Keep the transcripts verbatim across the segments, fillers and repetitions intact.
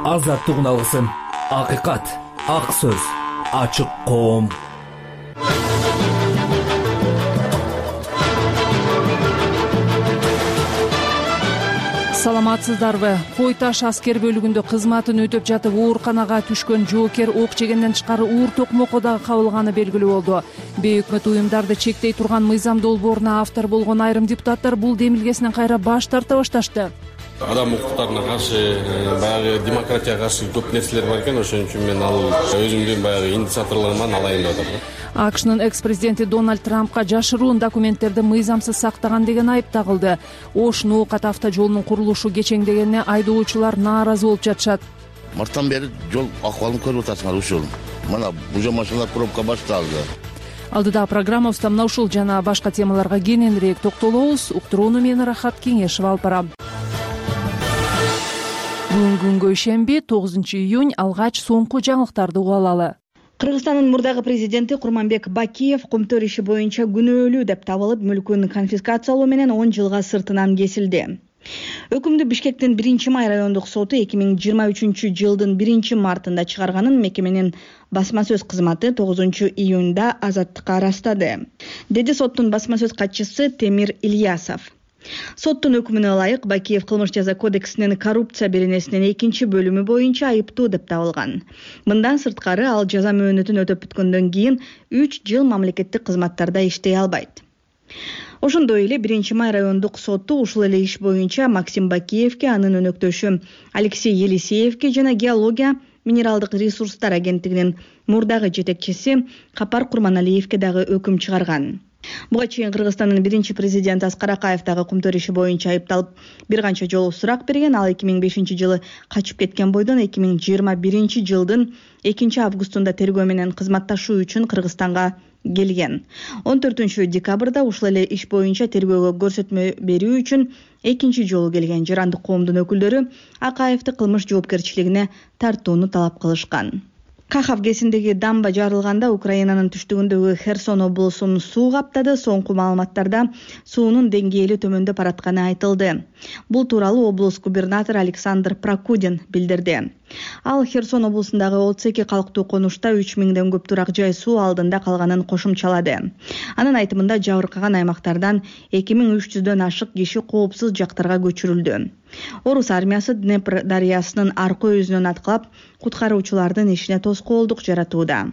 азаттыгын алгысың. Акыйкат, ак сөз, ачык коом. Саламатсыздарбы? Кой Таш аскер бөлүгүндө кызматын өтөп жатып ооруканага түшкөн жоокер ок жегенден тышкары уур токмокко дагы кабылганы белгилүү болду. Бейөкмөт уюмдарды чектей турган мыйзам долбооруна автор болгон айрым депутаттар бул демилгесинен кайра баш тарта башташты. Адам укуктарына каршы, баягы демократияга каршы көп нерселер бар экен, ошон үчүн мен ал өзүмдүн баягы инициаторлоруман алайын деп атам. АКШнын экс-президенти Дональд Трампка жашыруун документтерди мыйзамсыз сактаган деген айып тагылды. Ош-Ноокат автожолунун курулушу кечеңдегенине айдоочулар нааразы болуп жатышат. Марттан бери жол акыбалын көрүп атасыңар ушул. Мына бужа машиналар пробка башталды. Алдыда программабызда мына ушул жана башка темаларга кененирээк токтолобуз. Уктурууну мен Рахат Кеңешева алып барам. Бүгүн күнгө ишемби, тогузунчу июнь, алгач соңку жаңылыктарды угуп алалы. Кыргызстандын мурдагы президенти Курманбек Бакиев көмтөр иши боюнча күнөөлүү деп табылып, мүлкүн конфискациялоо менен он жылга сыртынан кесилди. Өкүмдү Бишкектин биринчи май райондук соту эки миң жыйырма үчүнчү жылдын биринчи мартында чыгарганын мекеменин басма сөз кызматы тогузунчу июнда азаттыкка ырастады, деди соттун басма сөз катчысы Темир Ильясов. Соттун өкүмүнө ылайык Бакиев кылмыш жаза кодексинин коррупция беренесинин экинчи бөлүмү боюнча айыптуу деп табылган. Мындан сырткары ал жаза мөөнөтүн өтөп бүткөндөн кийин үч жыл мамлекеттик кызматтарда иштей албайт. Ошондой эле биринчи май райондук соту ушул эле иш боюнча Максим Бакиевке, анын өнөктөшү Алексей Елисеевке жана геология минералдык ресурстар агенттигинин мурдагы жетекчиси Капар Курманалиевке дагы өкүм чыгарган. Буга чейин Кыргызстандын биринчи президенти Аскар Акаев дагы көмтөр иши боюнча айыпталып, бир канча жолу сурак берген. Ал эки миң бешинчи жылы качып кеткен бойдон эки миң жыйырма биринчи жылдын экинчи августунда тергөө менен кызматташуу үчүн Кыргызстанга келген. он төртүнчү декабрда ушул эле иш боюнча тергөөгө көрсөтмө берүү үчүн экинчи жолу келген жарандык коомдун өкүлдөрү Акаевди кылмыш жоопкерчилигине тартууну талап кылышкан. Кахав кесиндеги дамба жарылганда Украинанын түштүгүндөгү Херсон облусун суу каптады. Соңку маалыматтарда суунун деңгээли төмөндөп баратканы айтылды. Бул тууралуу облус губернатору Александр Прокудин билдирди. Ал Херсон облусундагы отуз эки калктуу конушта үч миңден көп турак жай суу алдында калганын кошумчалады. Анын айтымында жабыркаган аймактардан эки миң үч жүздөн ашык киши коопсуз жактарга көчүрүлдү. Орус армиясы Днепр дарыясынын аркы өзүнөн аткылап, куткаруучулардын ишине тоскоолдук жаратууда.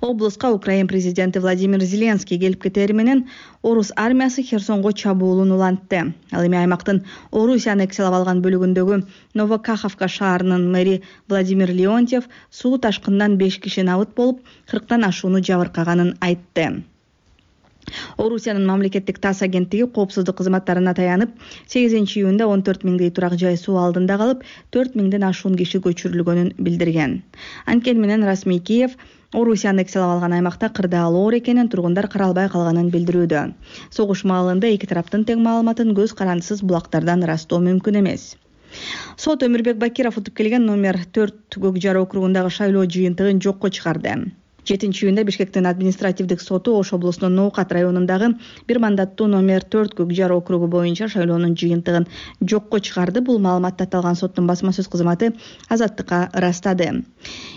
Облуска Украин президенти Владимир Зеленский келип кетери менен Орус армиясы Херсонго чабуулун улантты. Ал эми аймактын Орусия аннексиялап алган бөлүгүндөгү Новокаховка шаарынын мэри Владимир Леонтьев суу ташкындан беш киши набыт болуп, кырктан ашууну жабыркаганын айтты. Орусиянын мамлекеттик ТАСС агенттиги коопсуздук кызматтарына таянып, сегизинчи июнда он төрт миңдей турак жай суу алдында калып, төрт миңден ашуун киши көчүрүлгөнүн билдирген. Анткени менен расмий Киев Орусия аннексиялап алган аймакта кырдаал оор экенин, тургундар каралбай калганын билдирүүдө. Согуш маалында эки тараптын тең маалыматын көз карандысыз булактардан ырастоо мүмкүн эмес. Сот Өмүрбек Бакиров утуп келген номер төрт Көк Жар округундагы шайлоо жыйынтыгын жокко чыгарды. жетинчи июнда Бишкектин административдик соту Ош облусунун Ноокат районундагы бир мандаттуу номер төрт Көк Жар округу боюнча шайлоонун жыйынтыгын жокко чыгарды. Бул маалыматты аталган соттун басма сөз кызматы азаттыкка ырастады.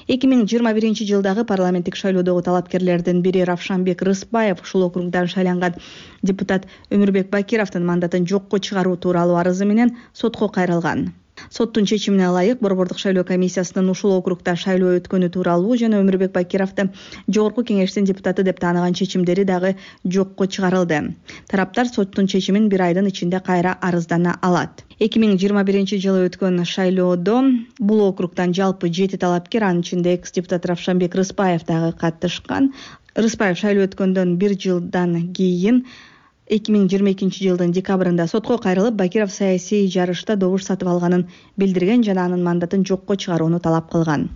эки миң жыйырма биринчи жылдагы парламенттик шайлоодогу талапкерлердин бири Равшанбек Рыспаев ушул округдан шайланган депутат Өмүрбек Бакировдун мандатын жокко чыгаруу тууралуу арызы менен сотко кайрылган. Соттун чечимине ылайык Борбордук шайлоо комиссиясынын ушул округда шайлоо өткөнү тууралуу жана Өмүрбек Бакировду жогорку кеңештин депутаты деп тааныган чечимдери дагы жокко чыгарылды. Тараптар соттун чечимин бир айдын ичинде кайра арыздана алат. эки миң жыйырма биринчи жылы өткөн шайлоодо бул округдан жалпы жети талапкер, анын ичинде экс-депутат Равшанбек Рыспаев дагы катышкан. Рыспаев шайлоо өткөндөн бир жылдан кийин эки миң жыйырма экинчи жылдын декабрында сотко кайрылып, Бакиров саясий жарышта добуш сатып алганын билдирген жана анын мандатын жокко чыгарууну талап кылган.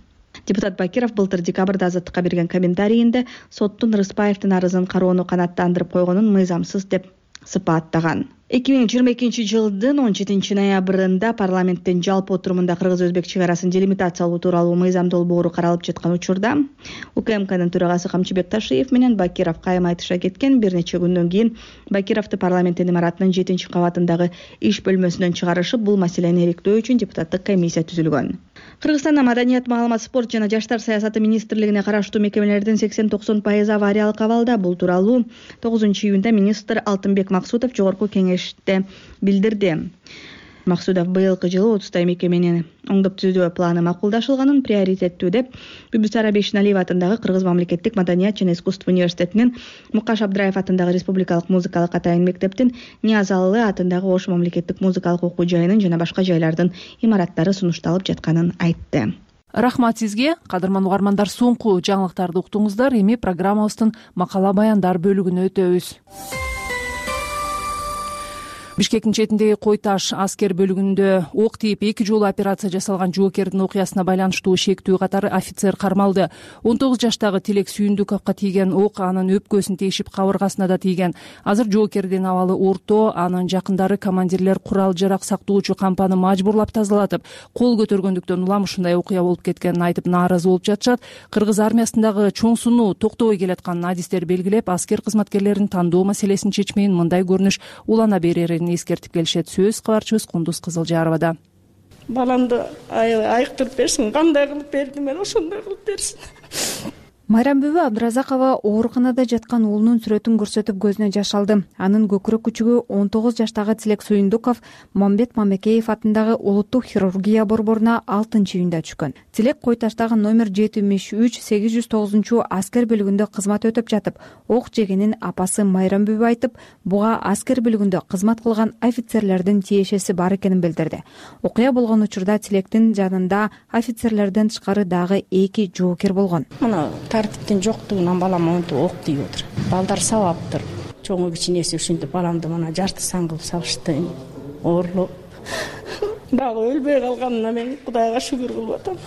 Депутат Бакиров былтыр декабрда азаттыкка берген комментарийинде соттун Рыспаевдин арызын кароону канааттандырып койгонун мыйзамсыз деп сыпаттаган. эки миң жыйырма экинчи жылдын он жетинчи ноябрында парламенттин жалпы отурумунда кыргыз-өзбек чек арасын делимитациялоо тууралуу мыйзам долбоору каралып жаткан учурда УКМКнын төрагасы Камчыбек Ташиев менен Бакиров кайым айтыша кеткен. Бир нече күндөн кийин Бакировду парламенттин имаратынын жетинчи кабатындагы иш бөлмөсүнөн чыгарышып, бул маселени иликтөө үчүн депутаттык комиссия түзүлгөн. Кыргызстанда маданият, маалымат, спорт жана жаштар саясаты министрлигине караштуу мекемелердин сексен токсон пайызы авариялык абалда. Бул тууралуу тогузунчу июнда министр Алтынбек Максутов жогорку кеңеште билдирди. Максудов быйылкы жылы отуздай мекеменин оңдоп түзүү планы макулдашылганын приоритеттүү деп Бибисара Бейшеналиева атындагы Кыргыз мамлекеттик маданият жана искусство университетинин, Мукаш Абдраев атындагы Республикалык музыкалык атайын мектептин, Ниязалы атындагы Ош мамлекеттик музыкалык окуу жайынын жана башка жайлардын имараттары сунушталып жатканын айтты. Рахмат сизге, кадырман угармандар. Соңку жаңылыктарды уктуңуздар. Эми программабыздын макала баяндар бөлүгүнө өтөбүз. Бишкектин четиндеги Кой Таш аскер бөлүгүндө ок тийип эки жолу операция жасалган жоокердин окуясына байланыштуу шектүү катары офицер кармалды. он тогуз жаштагы Тилек Сүйүндүковго тийген ок анын өпкөсүн тешип, кабыргасына да тийген. Азыр жоокердин абалы орто, анын жакындары командирлер курал жарак сактоочу кампаны мажбурлап тазалатып, кол көтөргөндүктөн улам ушундай окуя болуп кеткенин айтып нааразы болуп жатышат. Кыргыз армиясындагы чоң сунуу токтобой келатканын адистер белгилеп, аскер кызматкерлерин тандоо маселесин чечмейин мындай көрүнүш улана берерин эскертип келишет. Сөз кабарчыбыз Кундуз Кызылжаровада. Баламды айыктырып берсин, кандай кылып бердим мен, ошондой кылып берсин. Майрамбүбү Абдыразакова ооруканада жаткан уулунун сүрөтүн көрсөтүп көзүнө жаш алды. Анын көкүрөк күчүгү он тогуз жаштагы Тилек Сүйүндүков Мамбет Мамекеев атындагы улуттук хирургия борборуна алтынчы июнда түшкөн. Тилек Кой Таштагы номер жетимиш үч сегиз жүз тогузунчу аскер бөлүгүндө кызмат өтөп жатып, ок жегенин апасы Майрамбүбү айтып, буга аскер бөлүгүндө кызмат кылган офицерлердин тиешеси бар экенин билдирди. Окуя болгон учурда Тилектин жанында офицерлерден тышкары дагы эки жоокер болгон. Тартиптин жоктугунан балам монтип ок тийип отур. Балдар сабаптыр. Чоңу кичинеси ушинтип баламды мына жарты сан кылып салышты. Оорлоп. Дагы өлбөй калганына мен Кудайга шүгүр кылып атам.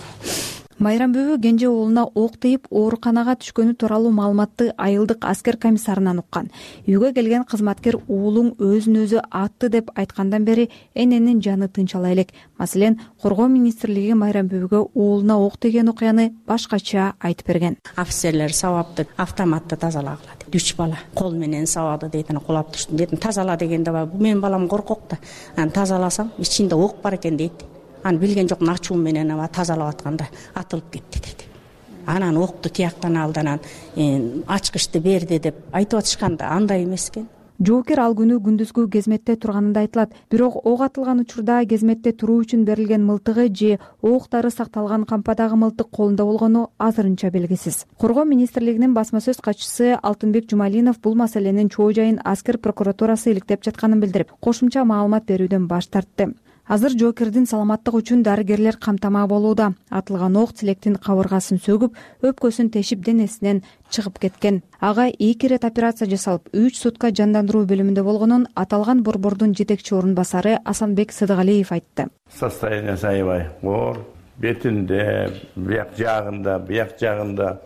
Майрамбүбү кенже уулуна ок тийип ооруканага түшкөнү тууралуу маалыматты айылдык аскер комиссарынан уккан. Үйгө келген кызматкер уулуң өзүн өзү атты деп айткандан бери эненин жаны тынч ала элек. Маселен, Коргоо министрлиги Майрамбүбүгө уулуна ок тийген окуяны башкача айтып берген. Офицерлер сабапты автоматты тазалагыла дейт. Үч бала кол менен сабады дейт, кулап түштү дейт. Тазала дегенде бар. Менин балам коркок да. Аны тазаласам ичинде ок бар экен дейт. Аны билген жокмун, ачуу менен ава тазалап атканда атылып кетти деди. Анан окту тияктан алды, анан ачкычты берди деп айтып атышканда андай эмес экен. Жоокер ал күнү күндүзгү кезметте турганында айтылат. Бирок ок атылган учурда кезметте туруу үчүн берилген мылтыгы же октары сакталган кампадагы мылтык колунда болгону азырынча белгисиз. Коргоо министрлигинин басма сөз катчысы Алтынбек Жумалинов бул маселенин чоо жайын аскер прокуратурасы иликтеп жатканын билдирип, кошумча маалымат берүүдөн баш тартты. Азыр жоокердин саламаттыгы үчүн дарыгерлер камтама болууда. Атылган ок Тилектин кабыргасын сөгүп, өпкөсүн тешип денесинен чыгып кеткен. Ага эки ирет операция жасалып, үч сутка жандандыруу бөлүмүндө болгонун аталган борбордун жетекчи орун басары Асанбек Сыдыгалиев айтты. Состояние аябай оор, бетинде, бияк жагында, бияк жагында,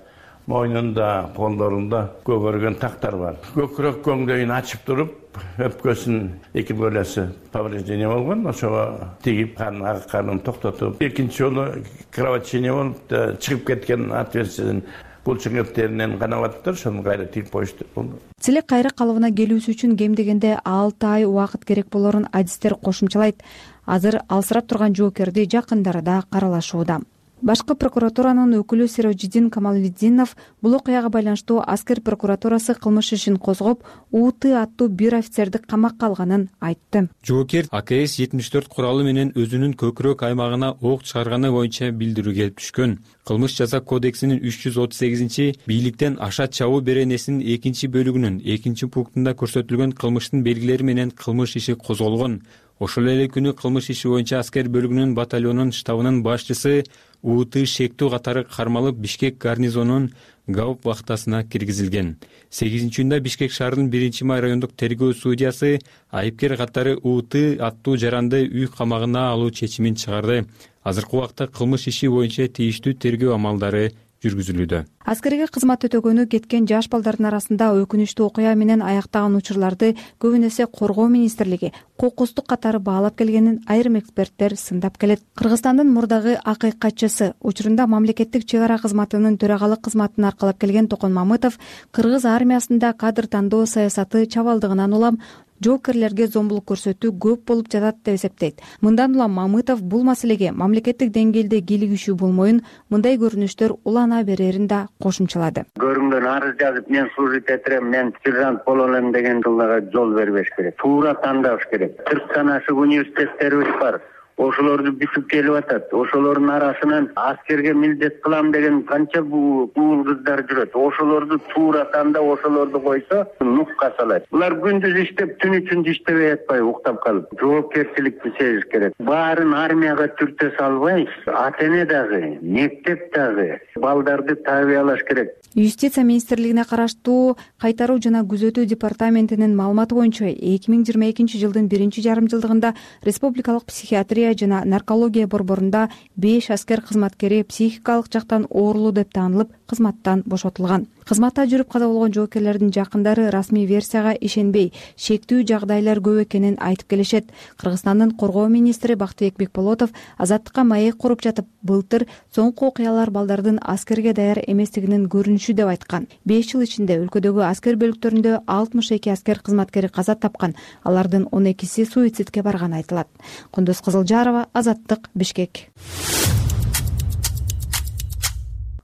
мойнунда, колдорунда көгөргөн тактар бар. Көкүрөк көңдөйүн ачып туруп, өпкөсүн эки бөлөсү повреждение болгон, ошого тигип кан акканын токтотуп, экинчи жолу кровотечение болуп чыгып кеткен отверстиеден булчуңептеринен канабаттыр, ошону кайра тигип коюшту. Тилек кайра калыбына келүүсү үчүн кем дегенде алты ай убакыт керек болорун адистер кошумчалайт. Азыр алсырап турган жоокерди жакындары да каралашууда. Башкы прокуратуранын өкүлү Сирожидин Камалиддинов бул окуяга байланыштуу аскер прокуратурасы кылмыш ишин козгоп, УТ аттуу бир офицерди камакка алганын айтты. Жоокер А К С жетимиш төрт куралы менен өзүнүн көкүрөк аймагына ок чыгарганы боюнча билдирүү келип түшкөн. Кылмыш жаза кодексинин үч жүз отуз сегизинчи бийликтен аша чабуу беренесинин экинчи бөлүгүнүн экинчи пунктунда көрсөтүлгөн кылмыштын белгилери менен кылмыш иши козголгон. Ошол эле күнү кылмыш иши боюнча аскер бөлүгүнүн батальонунун штабынын башчысы У Т шектүү катары кармалып Бишкек гарнизонунун гауп вахтасына киргизилген. сегизинчи июнда Бишкек шаарынын биринчи май райондук тергөө судьясы айыпкер катары У Т аттуу жаранды үй камагына алуу чечимин чыгарды. Азыркы убакта кылмыш иши боюнча тийиштүү тергөө амалдары жүргүзүлүүдө. Аскерге кызмат өтөгөнү кеткен жаш балдардын арасында өкүнүчтүү окуя менен аяктаган учурларды көбүн эсе Коргоо министрлиги кокустук катары баалап келгенин айрым эксперттер сындап келет. Кыргызстандын мурдагы акыйкатчысы, учурунда мамлекеттик чек ара кызматынын төрагалык кызматын аркалап келген Токон Мамытов Кыргыз армиясында кадр тандоо саясаты чабалдыгынан улам жоопкерлерге зомбулук көрсөтүү көп болуп жатат деп эсептейт. Мындан улам Мамытов бул маселеге мамлекеттик деңгээлде кийлигишүү болмоюн, мындай көрүнүштөр улана берерин да кошумчалады. Көрүнгөн арыз жазып, мен служить этирем, мен сержант боло элем деген жылдага жол бербеш керек. Туура тандаш керек. кырктан ашык университеттерибиз бар. Ошолорду бүтүп келип атат. Ошолордун арасынан аскерге милдет кылам деген канча бул кыздар жүрөт. Ошолорду туура тандап, ошолорду койсо нукка салат. Булар күндүз иштеп, түн үчүн иштебей атпай уктап калып, жоопкерчиликти сезиш керек. Баарын армияга түртө салбай, ата-эне дагы, мектеп дагы балдарды тарбиялаш керек. Юстиция министрлигине караштуу кайтаруу жана күзөтүү департаментинин маалыматы боюнча эки миң жыйырма экинчи жылдын биринчи жарым жылдыгында республикалык психиатрия жана наркология борборунда беш аскер кызматкери психикалык жактан оорулуу деп таанылып, кызматтан бошотулган. Кызматта жүрүп каза болгон жоокерлердин жакындары расмий версияга ишенбей, шектүү жагдайлар көп экенин айтып келишет. Кыргызстандын коргоо министри Бактыбек Бекболотов азаттыкка маек куруп жатып, былтыр соңку окуялар балдардын аскерге даяр эместигинин көрүнүшү деп айткан. беш жыл ичинде өлкөдөгү аскер бөлүктөрүндө алтымыш эки аскер кызматкери каза тапкан, алардын он экиси суицидке барганы айтылат. Кундуз Кызылжарова, Азаттык, Бишкек.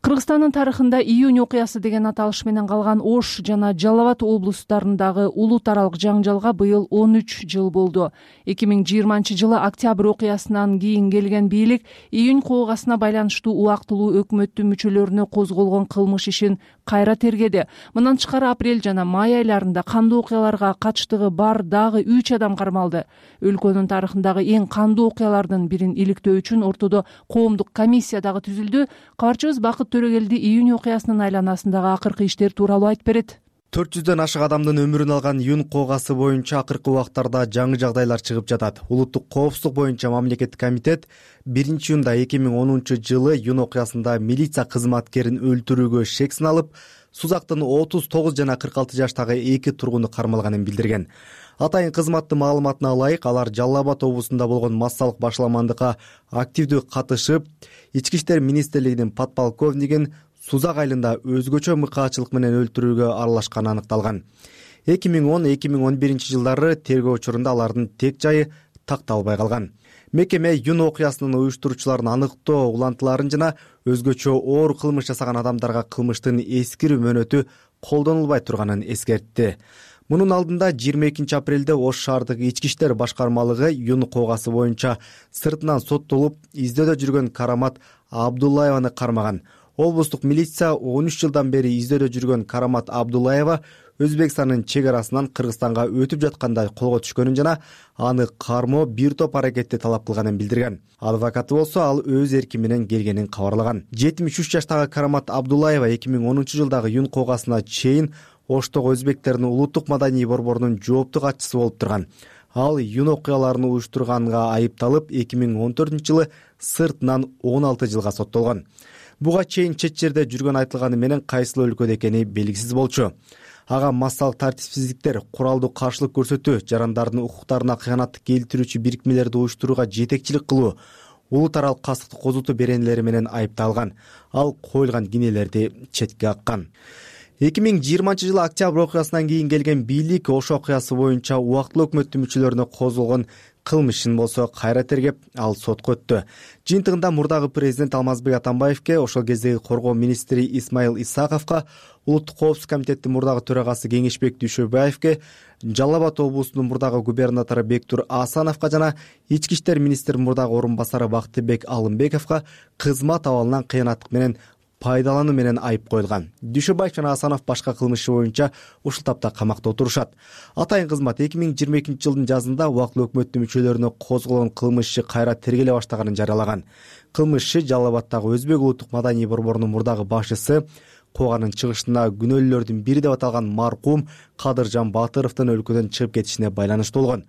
Кыргызстандын тарыхында июнь окуясы деген аталыш менен калган Ош жана Жалал Абад облустарындагы улут аралык жаңжалга быйыл он үч жыл болду. эки миң жыйырманчы жылы октябрь окуясынан кийин келген бийлик июнь куугасына байланыштуу убактылуу өкмөттүн мүчөлөрүнө козголгон кылмыш ишин кайра тергеди. Мындан тышкары апрель жана май айларында кандуу окуяларга катыштыгы бар дагы үч адам кармалды. Өлкөнүн тарыхындагы эң кандуу окуялардын бирин иликтөө үчүн ортодо коомдук комиссия дагы түзүлдү. Кабарчыбыз Бакыт Төрөгелди июнь окуясынын айланасындагы акыркы иштер тууралуу айтып берет. төрт жүздөн ашык адамдын өмүрүн алган июнь куугасы боюнча акыркы убактарда жаңы жагдайлар чыгып жатат. Улуттук коопсуздук боюнча мамлекеттик комитет биринчи июнда эки миң онунчу жылы июнь окуясында милиция кызматкерин өлтүрүүгө шек сыналып, Сузактын отуз тогуз жана кырк алты жаштагы эки тургуну кармалганын билдирген. Атайын кызматтын маалыматына ылайык, алар Жалал Абад облусунда болгон массалык башаламандыкка активдүү катышып, Ички иштер министрлигинин подполковнигин Сузак айылында өзгөчө мыкаачылык менен өлтүрүүгө аралашканы аныкталган. эки миң он эки миң он биринчи жылдары тергөө учурунда алардын тек жайы такталбай калган. Мекеме июнь окуясынын уюштуруучуларын аныктоо улантыларын жана өзгөчө оор кылмыш жасаган адамдарга кылмыштын эскирүү мөөнөтү колдонулбай турганын эскертти. Мунун алдында жыйырма экинчи апрелде Ош шаардык ички иштер башкармалыгы июнь куугасы боюнча сыртынан соттолуп, издөөдө жүргөн Карамат Абдуллаеваны кармаган. Облустук милиция он үч жылдан бери издөөдө жүргөн Карамат Абдуллаева Өзбекстандын чек арасынан Кыргызстанга өтүп жатканда колго түшкөнүн жана аны кармоо бир топ аракетти талап кылганын билдирген. Адвокаты болсо ал өз эрки менен келгенин кабарлаган. жетимиш үч жаштагы Карамат Абдуллаева эки миң онунчу жылдагы июнь куугасына чейин Оштогу өзбектердин улуттук маданий борборунун жооптуу катчысы болуп турган. Ал июнь окуяларын уюштурганга айыпталып, эки миң он төртүнчү жылы сыртынан он алты жылга соттолгон. Буга чейин чет жерде жүргөн айтылганы менен кайсыл өлкөдө экени белгисиз болчу. Ага массалык тартипсиздиктер, куралдуу каршылык көрсөтүү, жарандардын укуктарына кыянаттык келтирүүчү бирикмелерди уюштурууга жетекчилик кылуу, улут аралык кастыкты козутуу беренелери менен айыпталган. Ал коюлган кинелерди четке каккан. эки миң жыйырманчы жылы октябрь окуясынан кийин келген бийлик Ош окуясы боюнча убактылуу өкмөттүн мүчөлөрүнө козголгон кылмышын болсо кайра тергеп, ал сотко өттү. Жыйынтыгында мурдагы президент Алмазбек Атамбаевке, ошол кездеги коргоо министри Исмаил Исаковго, улуттук коопсуздук комитеттин мурдагы төрагасы Кеңешбек Дүйшөбаевке, Жалал Абад облусунун мурдагы губернатору Бектур Асановго жана ички иштер министринин мурдагы орун басары Бактыбек Алымбековго кызмат абалынан кыянаттык менен пайдалануу менен айып коюлган. Дүйшөбаев жана Асанов башка кылмышы боюнча ушул тапта камакта отурушат. Атайын кызмат эки миң жыйырма экинчи жылдын жазында убактылуу өкмөттүн мүчөлөрүнө козголгон кылмыш иши кайра тергеле баштаганын жарыялаган. Кылмыш иши Жалал Абаддагы Өзбек улуттук маданий борборунун мурдагы башчысы, кууганын чыгышында күнөөлүүлөрдүн бири деп аталган маркум Кадыржан Батыровдун өлкөдөн чыгып кетишине байланыштуу болгон.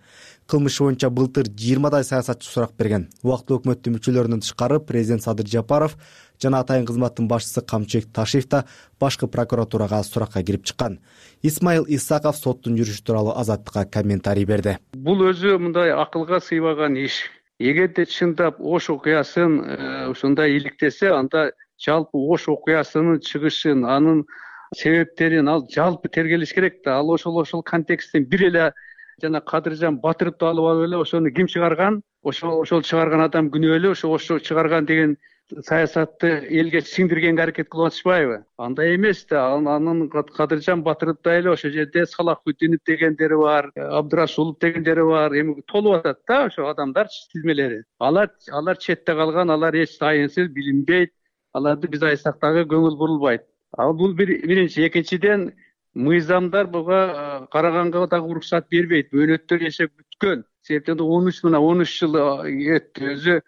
Кылмыш боюнча былтыр жыйырмадай саясатчы сурак берген. Убактылуу өкмөттүн мүчөлөрүнөн тышкары президент Садыр Жапаров жана атайын кызматтын башчысы Камчыбек Ташиев да башкы прокуратурага суракка кирип чыккан. Исмаил Исаков соттун жүрүшү тууралуу Азаттыкка комментарий берди. Бул өзү мындай акылга сыйбаган иш. Эгерде чындап Ош окуясын ушундай иликтесе, анда жалпы Ош окуясынын чыгышын, анын себептерин ал жалпы тергелиш керек да. Ал ошол ошол контексттен бир эле жана Кадыржан Батыровду алып алып эле ошону ким чыгарган, ошол ошол чыгарган адам күнөөлүү, ошо ошо чыгарган деген саясатты элге сиңдиргенге аракет кылып атышпайбы? Андай эмес да. Анын Кадыржан Батыровдой эле ошол жерде Салахутдинов дегендери бар, Абдырасулов дегендери бар, эми толуп атат да ошо адамдар тизмелери. Алар алар четте калган, алар эч тайынсыз, билинбейт. Аларды биз айтсак дагы көңүл бурулбайт. Ал бул биринчи. Экинчиден, мыйзамдар буга караганга дагы уруксат бербейт. Мөөнөттөр эсеп бүткөн. Себептен он үч мына он үч жыл өттү. Өзү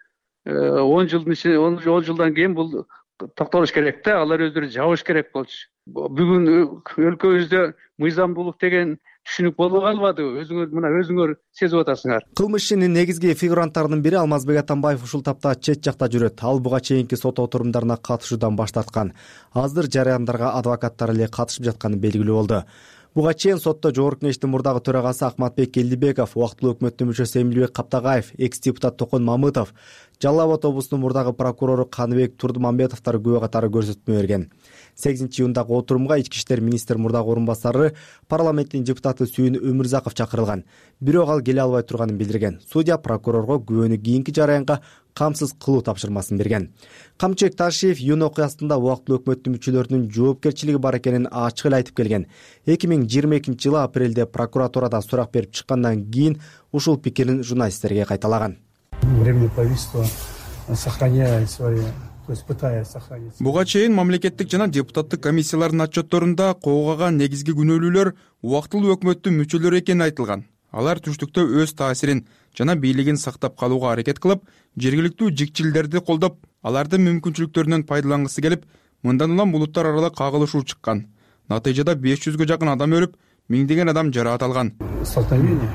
он жылдын ичинде он жылдан кийин бул токтолуш керек да. Алар өздөрү жабыш керек болчу. Бүгүн өлкөбүздө мыйзамдуулук деген түшүнүк боло калбадыбы? Өзүңөр мына өзүңөр сезип атасыңар. Кылмыш ишинин негизги фигуранттарынын бири Алмазбек Атамбаев ушул тапта чет жакта жүрөт. Ал буга чейинки сот отурумдарына катышуудан баш тарткан. Азыр жарыяндарга адвокаттар эле катышып жатканы белгилүү болду. Буга чейин сотто Жогорку Кеңештин мурдагы төрагасы Акматбек Келдибеков, убактылуу өкмөттүн мүчөсү Эмилбек Каптагаев, экс-депутат Токон Мамытов, Жалал Абад облусунун мурдагы прокурору Каныбек Турдумамбетовдор күбө катары көрсөтмө берген. сегизинчи июндагы отурумга ички иштер министри мурдагы орун басары, парламенттин депутаты Сүйүн Өмүрзаков чакырылган. Бирок ал келе албай турганын билдирген. Судья прокурорго күбөнү кийинки жараянга камсыз кылуу тапшырмасын берген. Камчыбек Ташиев июнь окуясында убактылуу өкмөттүн мүчөлөрүнүн жоопкерчилиги бар экенин ачык эле айтып келген. эки миң жыйырма экинчи жылы апрелде прокуратурадан сурак берип чыккандан кийин ушул пикирин журналисттерге кайталаган. Временное правительство сохраняет свои, то есть пытаясь сохранить. Буга чейин мамлекеттик жана депутаттык комиссиялардын отчетторунда куугаган негизги күнөөлүүлөр убактылуу өкмөттүн мүчөлөрү экени айтылган. Алар түштүктө өз таасирин жана бийлигин сактап калууга аракет кылып, жергиликтүү жикчилдерди колдоп, алардын мүмкүнчүлүктөрүнөн пайдалангысы келип, мындан улам булуттар аралык кагылышуу чыккан. Натыйжада беш жүзгө жакын адам өлүп, миңдеген адам жараат алган. Столкновение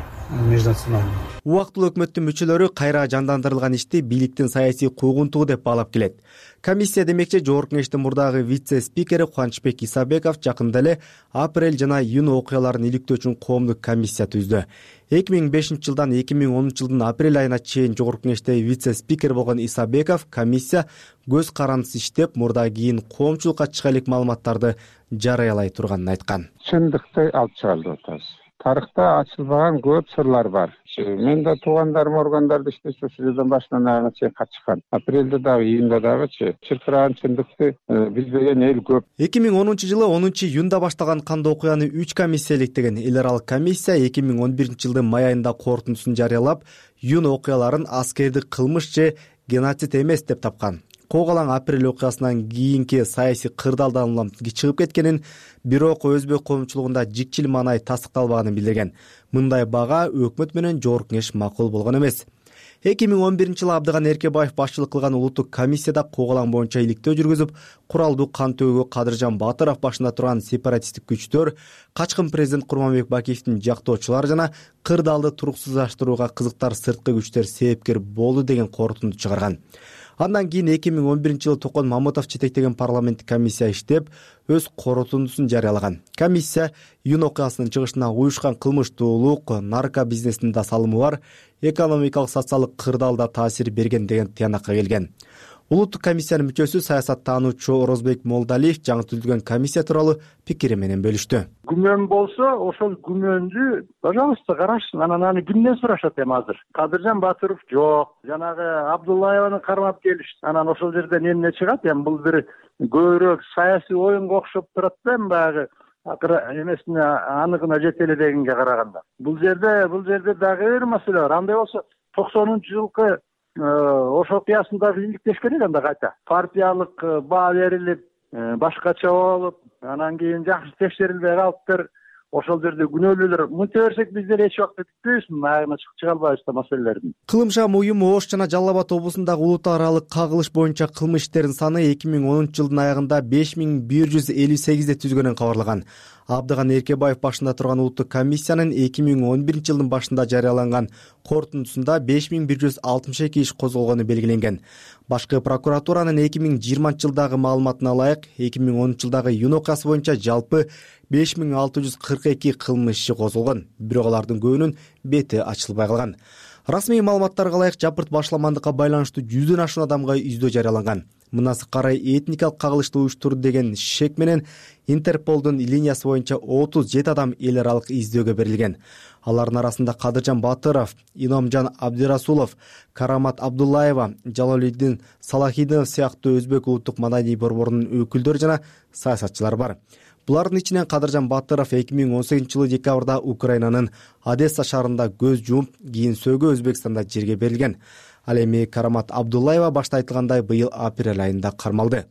межнациональное. Убактылуу өкмөттүн мүчөлөрү кайра жандандырылган ишти бийликтин саясий куугунтугу деп баалап келет. Комиссия демекчи Жогорку Кеңештин мурдагы вице-спикери Кубанычбек Исабеков жакында эле апрель жана июнь окуяларын иликтөө үчүн коомдук комиссия түздү. эки миң бешинчи жылдан эки миң онунчу жылдын апрель айына чейин Жогорку Кеңеште вице-спикер болгон Исабеков комиссия көз карандысыз иштеп, мурда кийин коомчулукка чыга элек маалыматтарды жарыялай турганын айткан. Чындыкты алып чыгалы деп атабыз. Тарыхта ачылбаган көп сырлар бар. Мен да туугандарым органдарда иштесе ушул жерден башынан аягына чейин катышкан. Апрелде дагы, июнда дагычы чыркыраган чындыкты билбеген эл көп. эки миң онунчу жылы онунчу июнда башталган кандуу окуяны үч комиссия иликтеген. Эл аралык комиссия эки миң он биринчи жылдын май айында корутундусун жарыялап, июнь окуяларын аскердик кылмыш же геноцид эмес деп тапкан. Когалаң апрель окуясынан кийинки саясий кырдаалдан улам чыгып кеткенин, бирок өзбек коомчулугунда жикчил маанай тастыкталбаганын билдирген. Мындай бага өкмөт менен Жогорку Кеңеш макул болгон эмес. эки миң он биринчи жылы Абдыган Эркебаев башчылык кылган улуттук комиссияда Когалаң боюнча иликтөө жүргүзүп, куралдуу кан төгүүгө Кадыржан Батыров башында турган сепаратисттик күчтөр, качкын президент Курманбек Бакиевдин жактоочулары жана кырдаалды туруксуздаштырууга кызыктар сырткы күчтөр себепкер болду деген корутунду чыгарган. Андан кийин эки миң он биринчи жылы Токон Мамытов жетектеген парламенттик комиссия иштеп, өз корутундусун жарыялаган. Комиссия июнь окуясынын чыгышына уюшкан кылмыштуулук, нарко бизнесинин да салымы бар, экономикалык социалдык кырдаалда таасир берген деген тыянакка келген. Улуттук комиссиянын мүчөсү саясаттануучу Орозбек Молдалиев жаңы түзүлгөн комиссия тууралуу пикири менен бөлүштү. Күмөн болсо, ошол күмөндү, пожалуйста, карашсын. Анан аны кимден сурашат эми азыр? Кадыржан Батыров жок. Жанагы Абдуллаеваны кармап келишти. Анан ошол жерден эмне чыгат? Эми бул бир көбүрөөк саясий оюнга окшоп турат да, эми баягы акыры эмесине аныгына жете эле дегенге караганда. Бул жерде, бул жерде дагы бир маселе бар. Андай болсо токсонунчу жылкы ошол окуясында иликтеш керек анда кайта. Партиялык баа берилип, башкача болуп, анан кийин жакшы текшерилбей калыптыр. Ошол жерде күнөөлүүлөр мынча берсек биздер эч убакта бүтпөйбүз, аягына чыга албайбыз да маселелердин. Кылымшам уюму Ош жана Жалал Абад облусундагы улут аралык кагылыш боюнча кылмыш иштердин саны эки миң онунчу жылдын аягында беш миң бир жүз элүү сегизде түзгөнүн кабарлаган. Абдыган Эркебаев башында турган улуттук комиссиянын эки миң он биринчи жылдын башында жарыяланган корутундусунда беш миң бир жүз алтымыш эки иш козголгону белгиленген. Башкы прокуратуранын эки миң жыйырманчы жылдагы маалыматына ылайык, эки миң онунчу жылдагы июнь окуясы боюнча жалпы беш миң алты жүз кырк эки кылмыш иши козголгон, бирок алардын көбүнүн бети ачылбай калган. Расмий маалыматтарга ылайык жапырт башламандыкка байланыштуу жүздөн ашуун адамга издөө жарыяланган. Мынасы карай этникалык кагылышты уюштурду деген шек менен Интерполдун линиясы боюнча отуз жети адам эл аралык издөөгө берилген. Алардын арасында Кадыржан Батыров, Иномжан Абдирасулов, Карамат Абдуллаева, Жалолиддин Салахидинов сыяктуу өзбек улуттук маданий борборунун өкүлдөрү жана саясатчылар бар. Булардын ичинен Кадыржан Батыров эки миң он сегизинчи жылы декабрда Украинанын Одесса шаарында көз жумуп, кийин сөөгө Өзбекстанда жерге берилген. Ал эми Карамат Абдуллаева башта айтылгандай быйыл апрель айында кармалды.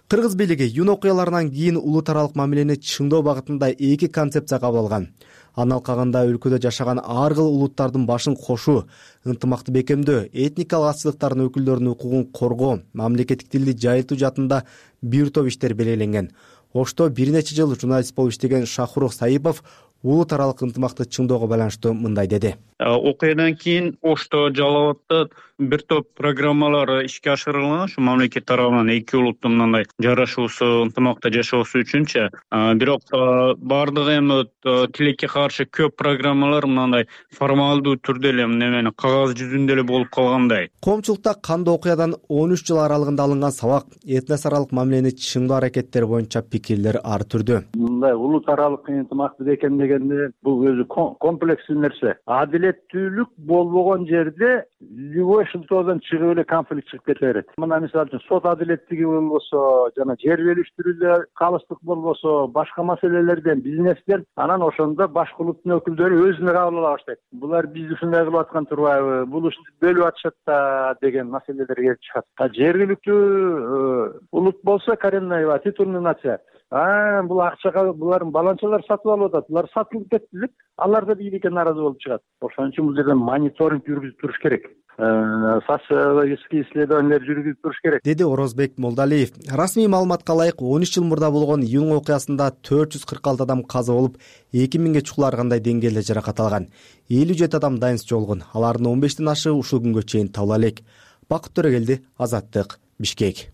Кыргыз бийлиги юн окуяларынан кийин улут аралык мамилени чыңдоо багытында эки концепция кабыл алган. Анын алкагында өлкөдө жашаган ар кыл улуттардын башын кошуу, ынтымакты бекемдөө, этникалык азчылыктардын өкүлдөрүнүн укугун коргоо, мамлекеттик тилди жайылтуу жаатында бир топ иштер белгиленген. Ошто бир нече жыл журналист болуп иштеген Шахрух Саипов улут аралык ынтымакты чыңдоого байланыштуу мындай деди. Окуядан кийин Ошто, Жалал абадта бир топ программалар ишке ашырылган. Ушу мамлекет тарабынан эки улуттун мындай жарашуусу, ынтымакта жашоосу үчүнчү. Бирок бардыгы эми тилекке каршы көп программалар мындай формалдуу түрдө эле немени кагаз жүзүндө эле болуп калгандай. Коомчулукта кандуу окуядан он үч жыл аралыгында алынган сабак, этнос аралык мамилени чыңдоо аракеттери боюнча пикирлер ар түрдүү. Мындай улут аралык ынтымакты бекемдегенде бул өзү комплекстүү нерсе. Адилеттүүлүк болбогон жерде любой шылтоодон чыгып эле конфликт чыгып кете берет. Мына мисалы үчүн сот адилеттиги болбосо, жана жер бөлүштүрүүдө калыстык болбосо, башка маселелерден, бизнестен, анан ошондо башка улуттун өкүлдөрү өзүнө кабыл ала баштайт. Булар бизди ушундай кылып аткан турбайбы, бул ушинтип бөлүп атышат да деген маселелер келип чыгат. Жергиликтүү улут болсо коренная титульный нация. А, бул акчага булардын баланчалары сатып алып атат. Булар сатылып кетти деп, алар да бийликке нааразы болуп чыгат. Ошон үчүн бул жерде мониторинг жүргүзүп туруш керек. Социологический исследование жүргүзүп туруш керек, деди Орозбек Молдалиев. Расмий маалыматка ылайык он үч жыл мурда болгон июнь окуясында төрт жүз кырк алты адам каза болуп, эки миңге чукуларгандай деңгээлде жаракат алган. элүү жети адам дайынсыз жоголгон. Алардын он бештен ашы ушул күнгө чейин табыла элек. Бакыт Төрөгелди, Азаттык, Бишкек.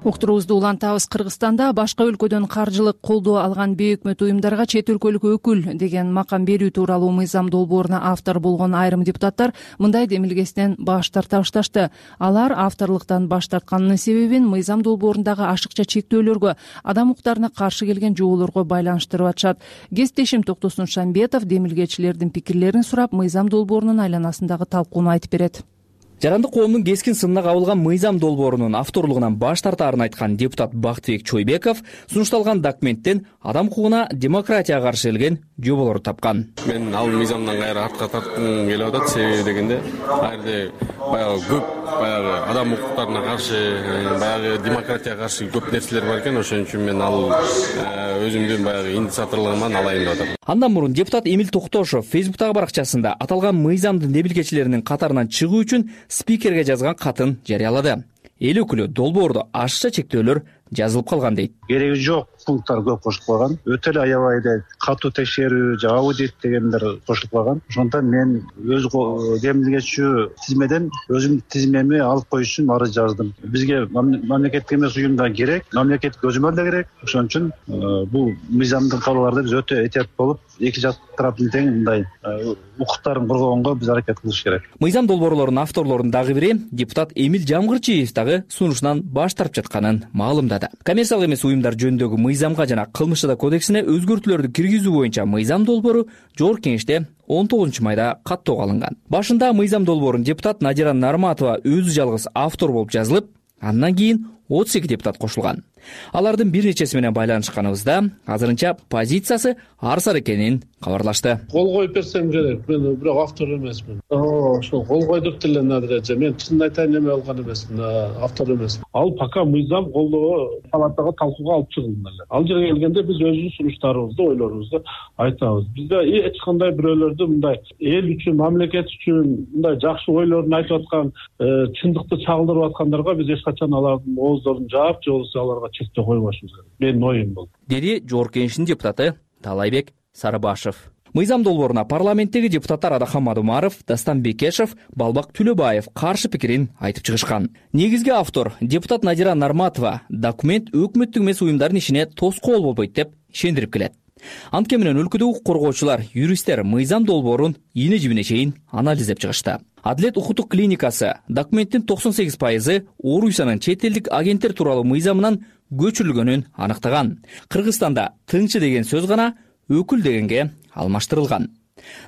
Уктуруубузду улантабыз. Кыргызстанда башка өлкөдөн каржылык колдоо алган бейөкмөт уюмдарга чет өлкөлүк өкүл деген макам берүү тууралуу мыйзам долбооруна автор болгон айрым депутаттар мындай демилгесинен баш тарта башташты. Алар авторлуктан баш тартканынын себебин мыйзам долбоорундагы ашыкча чектөөлөргө, адам укуктарына каршы келген жоолорго байланыштырып атышат. Кесиптешим Токтосун Шамбетов демилгечилердин пикирлерин сурап, мыйзам долбоорунун айланасындагы талкууну айтып берет. Жарандык коомдун кескин сынына кабылган мыйзам долбоорунун авторлугунан баш тартаарын айткан депутат Бактыбек Чойбеков сунушталган документтен адам укугуна демократияга каршы келген жоболорду тапкан. Мен ал мыйзамдан кайра артка тарткым келип атат. Себеби дегенде, ал жерде баягы көп баягы адам укуктарына каршы, баягы демократияга каршы көп нерселер бар экен. Ошон үчүн мен ал өзүмдүн баягы инициаторлугуман алайын деп атам. Андан мурун депутат Эмил Токтошов Фейсбуктагы баракчасында аталган мыйзамдын демилгечилеринин катарынан чыгуу үчүн спикерге жазган катын жарыялады. Эл өкүлү долбоордо ашыкча чектөөлөр жазылып калган дейт. Кереги жок пункттар көп кошулуп калган. Өтө эле аябай эле катуу текшерүү, аудит дегендер кошулуп калган. Ошондон мен өз демилгечүү тизмеден өзүмдүн тизмеми алып коюш үчүн арыз жаздым. Бизге мамлекеттик эмес уюмдар керек, мамлекеттик көзөмөл да керек. Ошон үчүн бул мыйзамдын кабылларда биз өтө этият болуп, эки жак тараптын тең мындай укуктарын коргогонго биз аракет кылыш керек. Мыйзам долбоорлорунун авторлорунун дагы бири депутат Эмил Жамгырчиев дагы сунушунан баш тартып жатканын маалымдады. Коммерциялык эмес уюмдар жөнүндөгү мыйзамга жана кылмыш жада кодексине өзгөртүүлөрдү киргизүү боюнча мыйзам долбоору Жогорку Кеңеште он тогузунчу майда каттоого алынган. Башында мыйзам долбоорун депутат Надира Нарматова өзү жалгыз автор болуп жазылып, андан кийин отуз эки депутат кошулган. Алардын бир нечеси менен байланышканыбызда азырынча позициясы ар сар экенин кабарлашты. Кол коюп берсем керек, мен бирок автор эмесмин. Ошо кол койдук деле Надираже, мен чын айтайын эме алган эмесмин, автор эмесмин. Ал пока мыйзам колдоо палатага талкууга алып чыгылган эле. Ал жерге келгенде биз өзүбүздүн сунуштарыбызды, ойлорубузду айтабыз. Бизде эч кандай бирөөлөрдү мындай эл үчүн, мамлекет үчүн мындай жакшы ойлорун айтып аткан, чындыкты чагылдырып аткандарга биз эч качан алардын ооздорун жаап, же болбосо аларга чектөө койбошубуз керек. Менин оюм бул. Деди Жогорку Кеңештин депутаты Талайбек Сарыбашев. мыйзам долбооруна парламенттеги депутаттар Адахамад Умаров, Дастан Бекешев, Балбак Түлөбаев каршы пикирин айтып чыгышкан. Негизги автор депутат Надира Нарматова документ өкмөттүк эмес уюмдардын ишине тоскоол болбойт деп ишендирип келет. Анткени менен өлкөдө укук коргоочулар, юристтер мыйзам долбоорун ийне жибине чейин анализдеп чыгышты. Адилет укуктук клиникасы документтин токсон сегиз пайызы Орусиянын чет элдик агенттер тууралуу мыйзамынан көчүрүлгөнүн аныктаган. Кыргызстанда тыңчы деген сөз гана өкүл дегенге алмаштырылган.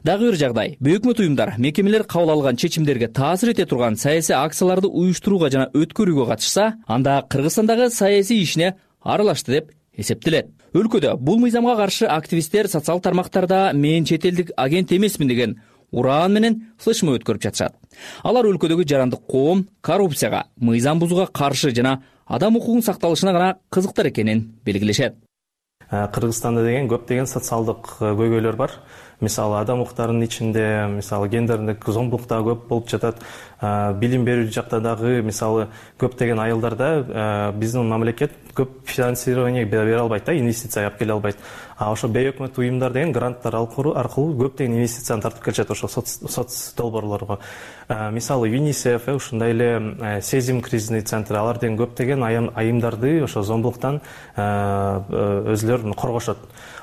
Дагы бир жагдай, бейөкмөт уюмдар, мекемелер кабыл алган чечимдерге таасир эте турган саясий акцияларды уюштурууга жана өткөрүүгө катышса, анда Кыргызстандагы саясий ишине аралашты деп эсептелет. Өлкөдө бул мыйзамга каршы активисттер социал тармактарда мен чет элдик агент эмесмин деген ураан менен флешмоб өткөрүп жатышат. Алар өлкөдөгү жарандык коом коррупцияга, мыйзам бузууга каршы жана адам укугунун сакталышына гана кызыктар экенин белгилешет. Кыргызстанда деген көптөгөн социалдык көйгөйлөр бар. Мисалы адам укуктарынын ичинде, мисалы гендердик зомбулук да көп болуп жатат. Билим берүү жакта дагы мисалы көптөгөн айылдарда биздин мамлекет көп финансирование бере албайт да, инвестиция алып келе албайт. А ошо бейөкмөт уюмдар деген гранттар аркылуу көптөгөн инвестицияны тартып келишет ошо соц долбоорлорго. Мисалы ЮНИСЕФ, ушундай эле Сезим кризисный центр, алар деген көптөгөн айымдарды ошо зомбулуктан өзүлөрүн коргошот.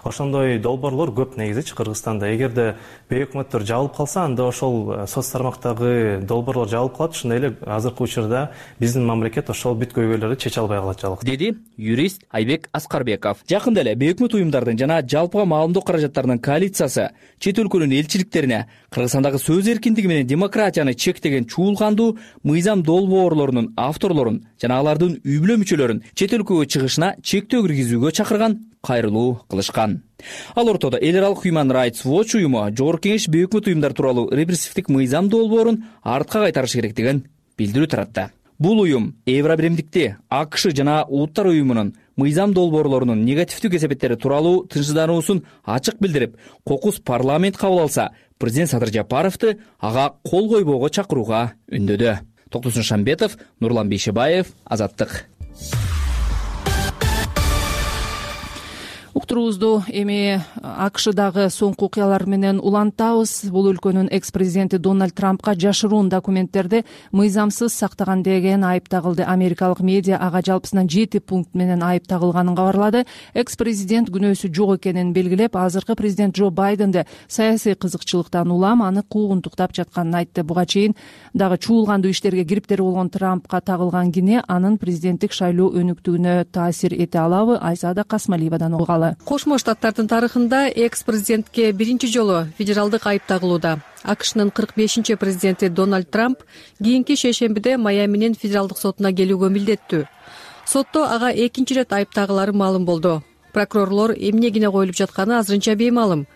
Ошондой долбоорлор көп негизичи Кыргызстанда. Эгерде бейөкмөттөр жабылып калса, анда ошол соц тармактагы долбоорлор жабылып калат. Ошондой эле азыркы учурда биздин мамлекет ошол бүт көйгөйлөрдү чече албай калат жалгыз. Деди юрист Айбек Аскарбеков. Жакында эле бейөкмөт уюмдардын жана жалпыга маалымдоо каражаттарынын коалициясы чет өлкөнүн элчиликтерине Кыргызстандагы сөз эркиндиги менен демократияны чектеген чуулгандуу мыйзам долбоорлорунун авторлорун жана алардын үй бүлө мүчөлөрүн чет өлкөгө чыгышына чектөө киргизүүгө чакырган кайрылуу кылышкан. Ал ортодо эл аралык Human Rights Watch уюму Жогорку Кеңеш бейөкмөт уюмдар тууралуу репрессивдик мыйзам долбоорун артка кайтарыш керектигин билдирүү таратты. Бул уюм Евробиримдикти, АКШ жана Улуттар уюмунун мыйзам долбоорлорунун негативдүү кесепеттери тууралуу тынчсыздануусун ачык билдирип, кокус парламент кабыл алса, президент Садыр Жапаровду ага кол койбоого чакырууга үндөдү. Токтосун Шамбетов, Нурлан Бейшебаев, Азаттык. Уктуруубузду эми АКШдагы соңку окуялар менен улантабыз. Бул өлкөнүн экс-президенти Дональд Трампка жашыруун документтерди мыйзамсыз сактаган деген айып тагылды. Америкалык медиа ага жалпысынан жети пункт менен айып тагылганын кабарлады. Экс-президент күнөөсү жок экенин белгилеп, азыркы президент Джо Байденди саясий кызыкчылыктан улам аны куугунтуктап жатканын айтты. Буга чейин дагы чуулгандуу иштерге кириптери болгон Трампка тагылган кине анын президенттик шайлоо өнүктүгүнө таасир эте алабы? Айсаада Касмалиевадан угалы. Кошмо Штаттардын тарыхында экс-президентке биринчи жолу федералдык айып тагылууда. АКШнын кырк бешинчи президенти Дональд Трамп кийинки шейшембиде Майаминин федералдык сотуна келүүгө милдеттүү. Сотто ага экинчи ирет айып тагылары маалым болду. Прокурорлор эмне кине коюлуп жатканы азырынча беймаалым.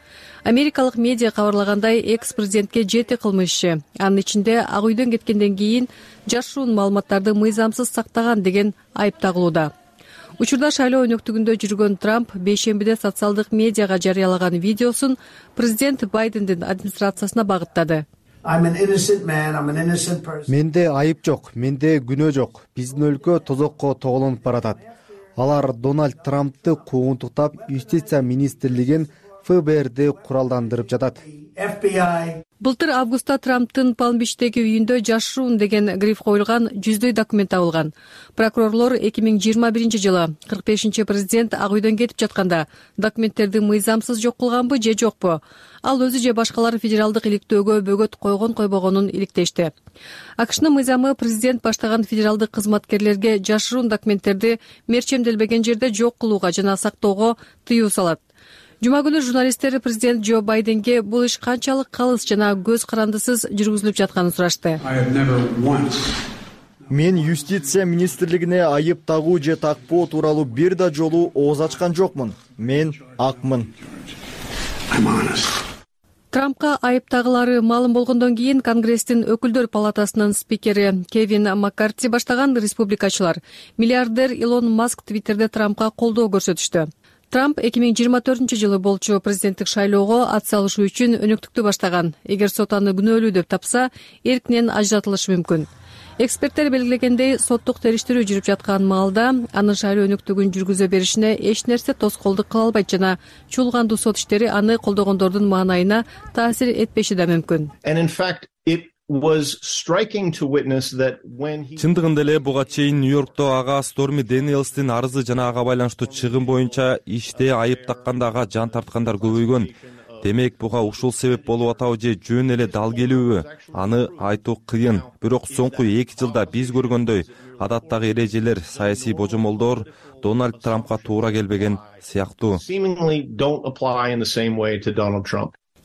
Америкалык медиа кабарлагандай, экс-президентке жети кылмыш иши, анын ичинде Ак үйдөн кеткенден кийин жашыруун маалыматтарды мыйзамсыз сактаган деген айып тагылууда. Учурда шайлоо өнөктүгүндө жүргөн Трамп бейшембиде социалдык медиага жарыялаган видеосун президент Байдендин администрациясына багыттады. Менде айып жок, менде күнөө жок. Биздин өлкө тозокко тоголонуп баратат. Алар Дональд Трампты куугунтуктап, юстиция министрлигин эф бэ эрди куралдандырып жатат. Былтыр августта Трамптын Палм-Бичтеги үйүндө жашыруун деген гриф коюлган жүздөй документ табылган. Прокурорлор эки миң жыйырма биринчи жылы кырк бешинчи президент Ак үйдөн кетип жатканда документтерди мыйзамсыз жок кылганбы же жокпу? Ал өзү же башкалар федералдык иликтөөгө бөгөт койгон койбогонун иликтешти. АКШнын мыйзамы президент баштаган федералдык кызматкерлерге жашыруун документтерди мерчемделбеген жерде жок кылууга жана сактоого тыюу салат. Жума күнү журналисттер президент Джо Байденге бул иш канчалык калыс жана көз карандысыз жүргүзүлүп жатканын сурашты. Мен юстиция министрлигине айып тагуу же такпоо тууралуу бир да жолу ооз ачкан жокмун. Мен акмын. Трампка айып тагылары маалым болгондон кийин Конгресстин өкүлдөр палатасынын спикери Кевин Маккарти баштаган республикачылар миллиардер Илон Маск Твиттерде Трампка колдоо көрсөтүштү. Трамп эки миң жыйырма төртүнчү жылы болчу президенттик шайлоого ат салышуу үчүн өнөктүктү баштаган. Эгер сот аны күнөөлүү деп тапса, эркинен ажыратылышы мүмкүн. эксперттер белгилегендей, соттук териштирүү жүрүп жаткан маалда анын шайлоо-өнүктүгүн жүргүзө беришине эч нерсе тоскоолдук кыла албайт жана чуулгандуу сот иштери аны колдогондордун маанайына таасир этпеши да мүмкүн. Чындыгында эле буга чейин Нью-Йоркто ага Сторми Дэниелстин арызы жана ага байланыштуу чыгым боюнча иште айып такканда ага жан тарткандар көбөйгөн. Демек, буга ушул себеп болуп атабы же жөн эле дал келүүбү? Аны айтуу кыйын. Бирок соңку эки жылда биз көргөндөй адаттагы эрежелер, саясий божомолдор Дональд Трампка туура келбеген сыяктуу.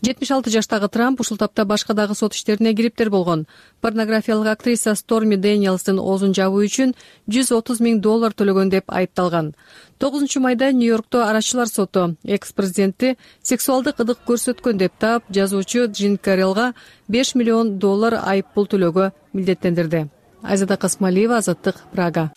жетимиш алты жаштагы Трамп ушул тапта башка дагы сот иштерине кириптер болгон. Порнографиялык актриса Сторми Дэниелстин оозун жабуу үчүн жүз отуз миң доллар төлөгөн деп айыпталган. тогузунчу майда Нью-Йоркто арачылар соту экс-президентти сексуалдык ыдык көрсөткөн деп таап, жазуучу Джин Карелга беш миллион доллар айып пул төлөөгө милдеттендирди. Айзада Касмалиева, Азаттык, Прага.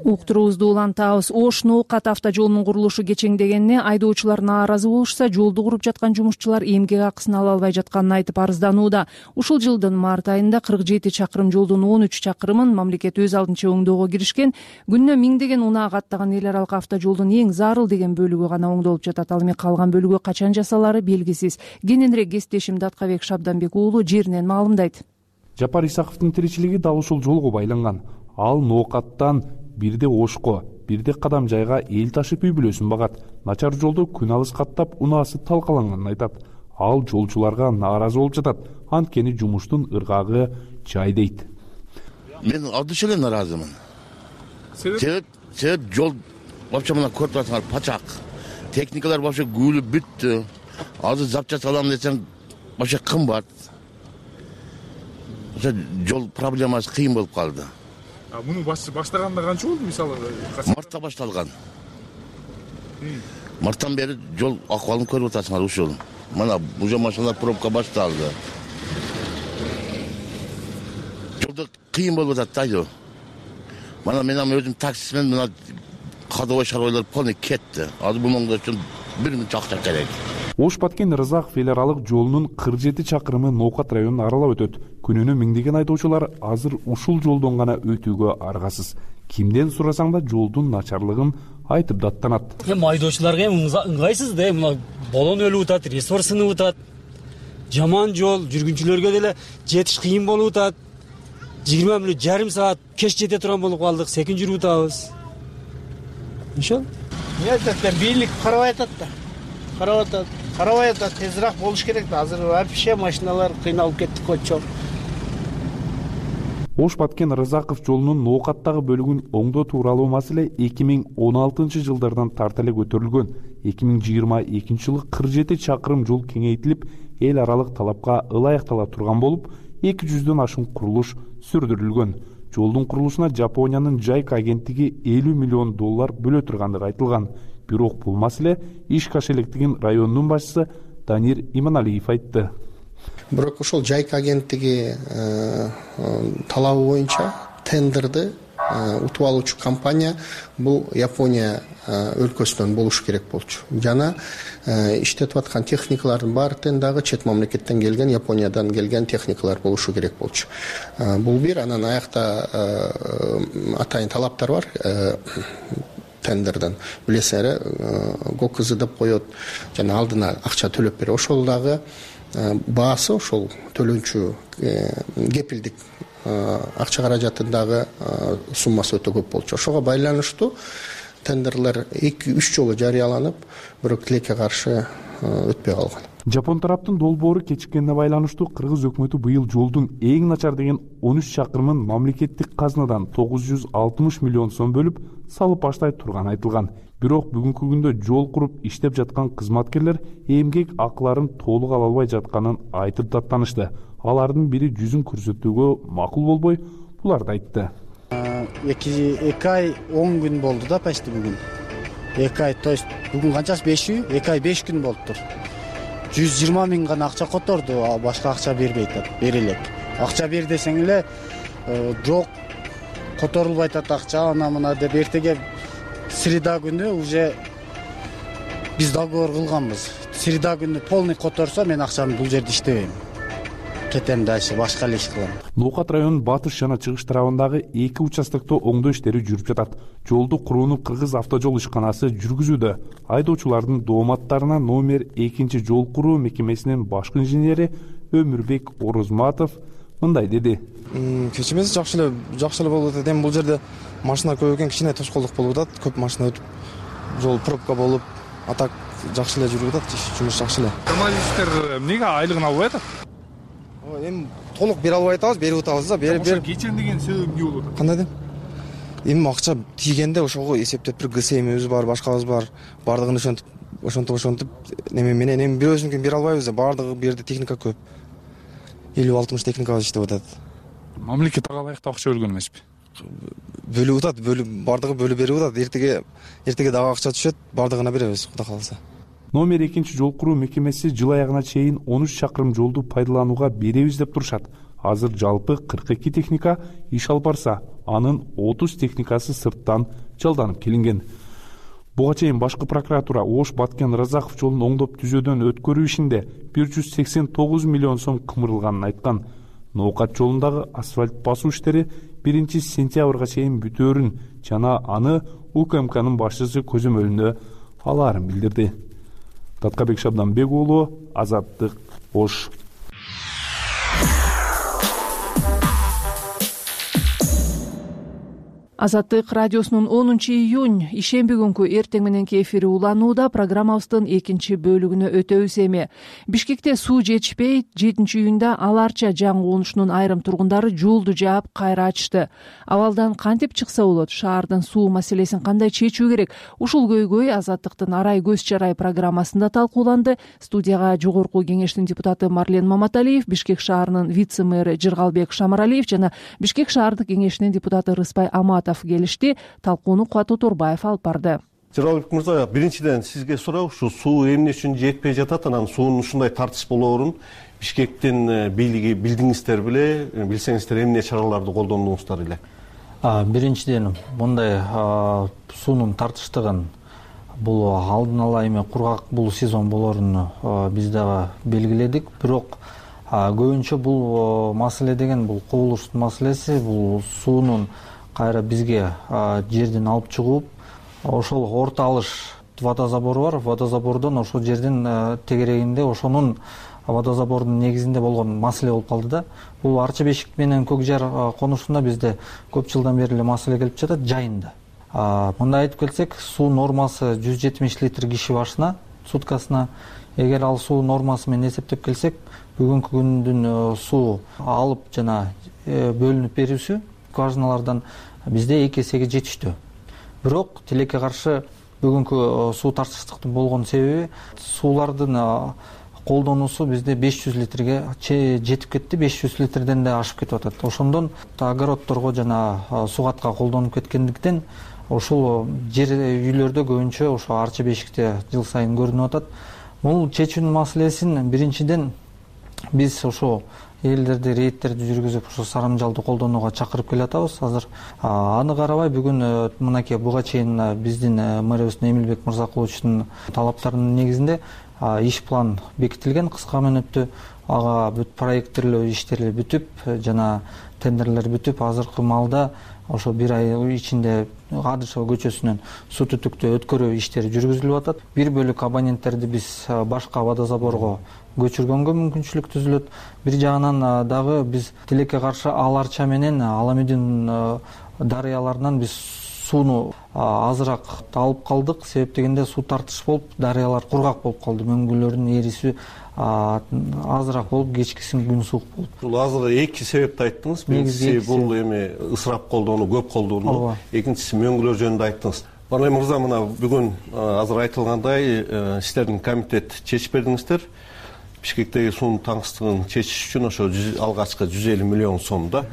Уктуруубузду улантабыз. Ош Ноокат автожолунун курулушу кечеңдегенине айдоочулар нааразы болушса, жолду куруп жаткан жумушчулар эмгек акысын ала албай жатканын айтып арызданууда. Ушул жылдын март айында кырк жети чакырым жолдун он үч чакырымын мамлекет өз алдынча оңдоого киришкен. Күнүнө миңдеген унаа каттаган эл аралык автожолдун эң зарыл деген бөлүгү гана оңдолуп жатат. Ал эми калган бөлүгү качан жасалары белгисиз. Кененирээк кесиптешим Даткабек Шабданбек уулу жеринен маалымдайт. Жапар Исаковдун тиричилиги дал ушул жолго байланган. Ал Ноокаттан бирде Ошко, бирде Кадам жайга эл ташып үй бүлөсүн багат. Начар жолду күн алыс каттап унаасы талкаланганын айтат. Ал жолчуларга нааразы болуп жатат. Анткени жумуштун ыргагы жай дейт. Мен абдыш эле нааразымын. Себеп? Себеп жол вообще мына көрүп жатсаңар пачак. Техникалар вообще гүлүп бүттү. Азыр запча салам десең вообще кымбат. Жол проблемасы кыйын болуп калды. Муну баштаганда канча болду мисалы? Мартта башталган. Марттан бери жол акыбалын көрүп атасыңар ушул. Мына уже машиналар пробка башталды. Жолдо кыйын болуп атат да. Мына мен өзүм таксисмен мына кадыбай шаруалар полный кетти. Азыр бул оңдош үчүн бир миң акча керек. Ош Баткен Рызаков эл аралык жолунун кырк жети чакырымы Ноокат районун аралап өтөт. Күнүнө миңдеген айдоочулар азыр ушул жолдон гана өтүүгө аргасыз. Кимден сурасаң да жолдун начарлыгын айтып даттанат. Эми айдоочуларга эми ыңгайсыз да, мына болон өлүп атат, ресурс сынып атат. Жаман жол, жүргүнчүлөргө деле жетиш кыйын болуп атат. жыйырма мүнөт жарым саат кеч жете турган болуп калдык, секин жүрүп атабыз. Ошол? Эмне айтат, бийлик карабай атат да. Карабай атат. Карабай атат, тезирээк болуш керек да. Азыр вообще машиналар кыйналып кеттик көчө. Ош Баткен Рызаков жолунун Ноокаттагы бөлүгүн оңдоо тууралуу маселе эки миң он алтынчы жылдардан тарта эле көтөрүлгөн. эки миң жыйырма экинчи жылы кырк жети чакырым жол кеңейтилип, эл аралык талапка ылайыктала турган болуп, эки жүздөн ашуун курулуш сүрдүрүлгөн. Жолдун курулушуна Жапониянын Жайка агенттиги элүү миллион доллар бөлө тургандыгы айтылган. Бирок бул маселе иш каш электигин райондун башчысы Данир Иманалиев айтты. Бирок ошол Жайка агенттиги талабы боюнча тендерди утуп алуучу компания бул Япония өлкөсүнөн болуш керек болчу. Жана иштетип аткан техникалардын баардыгын дагы чет мамлекеттен келген, Япониядан келген техникалар болушу керек болчу. Бул бир, анан аякта атайын талаптар бар. Тендерден билесиңер, ГОКЗ деп коет, жана алдына акча төлөп берет. Ошол дагы баасы ошол төлөнчү кепилдик акча каражатындагы суммасы өтө көп болчу. Ошого байланыштуу тендерлер эки үч жолу жарыяланып, бирок тилекке каршы өтпөй калган. Жапон тараптын долбоору кечиккенине байланыштуу Кыргыз өкмөтү быйыл жолдун эң начар деген он үч чакырымын мамлекеттик казнадан тогуз жүз алтымыш миллион сом бөлүп салып баштай турганы айтылган. Бирок бүгүнкү күндө жол куруп иштеп жаткан кызматкерлер эмгек акыларын толук ала албай жатканын айтып даттанышты. Алардын бири жүзүн көрсөтүүгө макул болбой, буларды айтты. эки ай он күн болду да почти бүгүн. эки ай, то есть бүгүн канчасы беш үй, эки ай беш күн болуптур. жүз жыйырма миң гана акча которду, башка акча бербей атат, бери элек. Акча бер десең эле жок, которулбай атат акча, ана мына деп эртеге среда күнү уже биз договор кылганбыз. Среда күнү полный которсо мен акчаны бул жерде иштебейм. кетем дальше башка эле иш кылам. Ноокат районунун батыш жана чыгыш тарабындагы эки участокто оңдоо иштери жүрүп жатат. Жолду курууну Кыргыз автожол ишканасы жүргүзүүдө. Айдоочулардын дооматтарына номер экинчи жол куруу мекемесинин башкы инженери Өмүрбек Орозматов мындай деди. Кечимиз жакшы эле жакшы эле болуп атат. Эми бул жерде машина көп экен, кичине тоскоолдук болуп атат. Көп машина өтүп, жол пробка болуп, а так жакшы эле жүрүп атат. Жумуш жакшы эле. Журналисттер эмнеге айлыгын албай атат? Эми толук бере албай атабыз, берип атабыз да. Берип берип. Кечен деген себеп эмне болуп атат? Кандай дейм? Эми акча тийгенде ошого эсептеп бир ГСМибиз бар, башкабыз бар. Бардыгын ошентип, ошентип ошентип неме менен эми бирөөсүнүкүн бере албайбыз да. Бардыгы бу жерде техника көп. элүү алтымыш техникабыз иштеп атат. Мамлекет ага ылайыктуу акча бөлгөн эмеспи? Бөлүп атат, бөлүп бардыгы бөлүп берип атат. Эртеге эртеге дагы акча түшөт, бардыгына беребиз, Кудай кааласа. Номер экинчи жол куруу мекемеси жыл аягына чейин он үч чакырым жолду пайдаланууга беребиз деп турушат. Азыр жалпы кырк эки техника иш алып барса, анын отуз техникасы сырттан жалданып келинген. Буга чейин башкы прокуратура Ош Баткен Разаков жолун оңдоп түзөөдөн өткөрүү ишинде бир жүз сексен тогуз миллион сом кымырылганын айткан. Ноокат жолундагы асфальт басуу иштери биринчи сентябрга чейин бүтөөрүн жана аны УКМКнын башчысы көзөмөлүндө алаарын билдирди. Таткабек Шабданбек уулу, Азаттык, Ош. Азаттык радиосунун онунчу июнь ишемби күнкү эртең мененки эфири уланууда. Программабыздын экинчи бөлүгүнө өтөбүз эми. Бишкекте суу жетишпей, жетинчи июнда Аларча жаңы конушунун айрым тургундары жолду жаап кайра ачышты. Абалдан кантип чыкса болот? Шаардын суу маселесин кандай чечүү керек? Ушул көйгөй Азаттыктын Арай көз чарай программасында талкууланды. Студияга жогорку кеңештин депутаты Марлен Маматалиев, Бишкек шаарынын вице-мэры Жыргалбек Шамаралиев жана Бишкек шаардык кеңешинин депутаты Рыспай Аматов келишти. Талкууну Кубат Оторбаев алып барды. Жыргалбек мырза, биринчиден сизге суроо, ушу суу эмне үчүн жетпей жатат, анан суунун ушундай тартыш болоорун Бишкектин бийлиги билдиңиздер беле, билсеңиздер эмне чараларды колдондуңуздар эле? Биринчиден мындай суунун тартыштыгын бул алдын ала эми кургак бул сезон болоорун биз дагы белгиледик. Бирок көбүнчө бул маселе деген бул кубулуштун маселеси, бул суунун кайра бизге жерден алып чыгып, ошол орто алыш водозабору бар. Водозабордон ошол жердин тегерегинде ошонун водозабордун негизинде болгон маселе болуп калды да. Бул Арча Бешик менен Көк Жар конушунда бизде көп жылдан бери эле маселе келип жатат жайында. Мындай айтып келсек, суу нормасы жүз жетимиш литр киши башына суткасына. Эгер ал суу нормасы менен эсептеп келсек, бүгүнкү күндүн суу алып жана бөлүнүп берүүсү скважиналардан бизде эки эсеге жетиштүү. Бирок тилекке каршы бүгүнкү суу тартыштыктын болгон себеби суулардын колдонуусу бизде беш жүз литрге жетип кетти, беш жүз литрден да ашып кетип атат. Ошондон огороддорго жана сугатка колдонуп кеткендиктен ушул жер үйлөрдө көбүнчө ошо Арча Бешикте жыл сайын көрүнүп атат. Бул чечүүнүн маселесин биринчиден биз ошо элдерди рейдтерди жүргүзүп ошо сарамжалды колдонууга чакырып келатабыз. Азыр аны карабай бүгүн мынакей буга чейин биздин мэрибиз Эмилбек Мырзакуловичтун талаптарынын негизинде иш план бекитилген кыска мөөнөттө. Ага бүт проекттерлөө иштери бүтүп жана тендерлер бүтүп, азыркы маалда ошо бир ай ичинде Адышева көчөсүнөн суу түтүктү өткөрүү иштери жүргүзүлүп атат. Бир бөлүк абоненттерди биз башка водозаборго көчүргөнгө мүмкүнчүлүк түзүлөт. Бир жагынан дагы биз тилекке каршы Аларча менен Аламүдүн дарыяларынан биз сууну азыраак алып калдык. Себеп дегенде суу тартыш болуп, дарыялар кургак болуп калды. Мөңгүлөрдүн эрисүү азыраак болуп, кечкисин күн суук болуп. Бул азыр эки себепти айттыңыз. Биринчиси бул эми ысырап колдонуу, көп колдонуу. Экинчиси мөңгүлөр жөнүндө айттыңыз. Бана мырза, мына бүгүн азыр айтылгандай иштердин комитет чечип бердиңиздер. Бишкектеги суунун таңсыздыгын чечиш үчүн ошо алгачкы жүз элүү миллион сом да.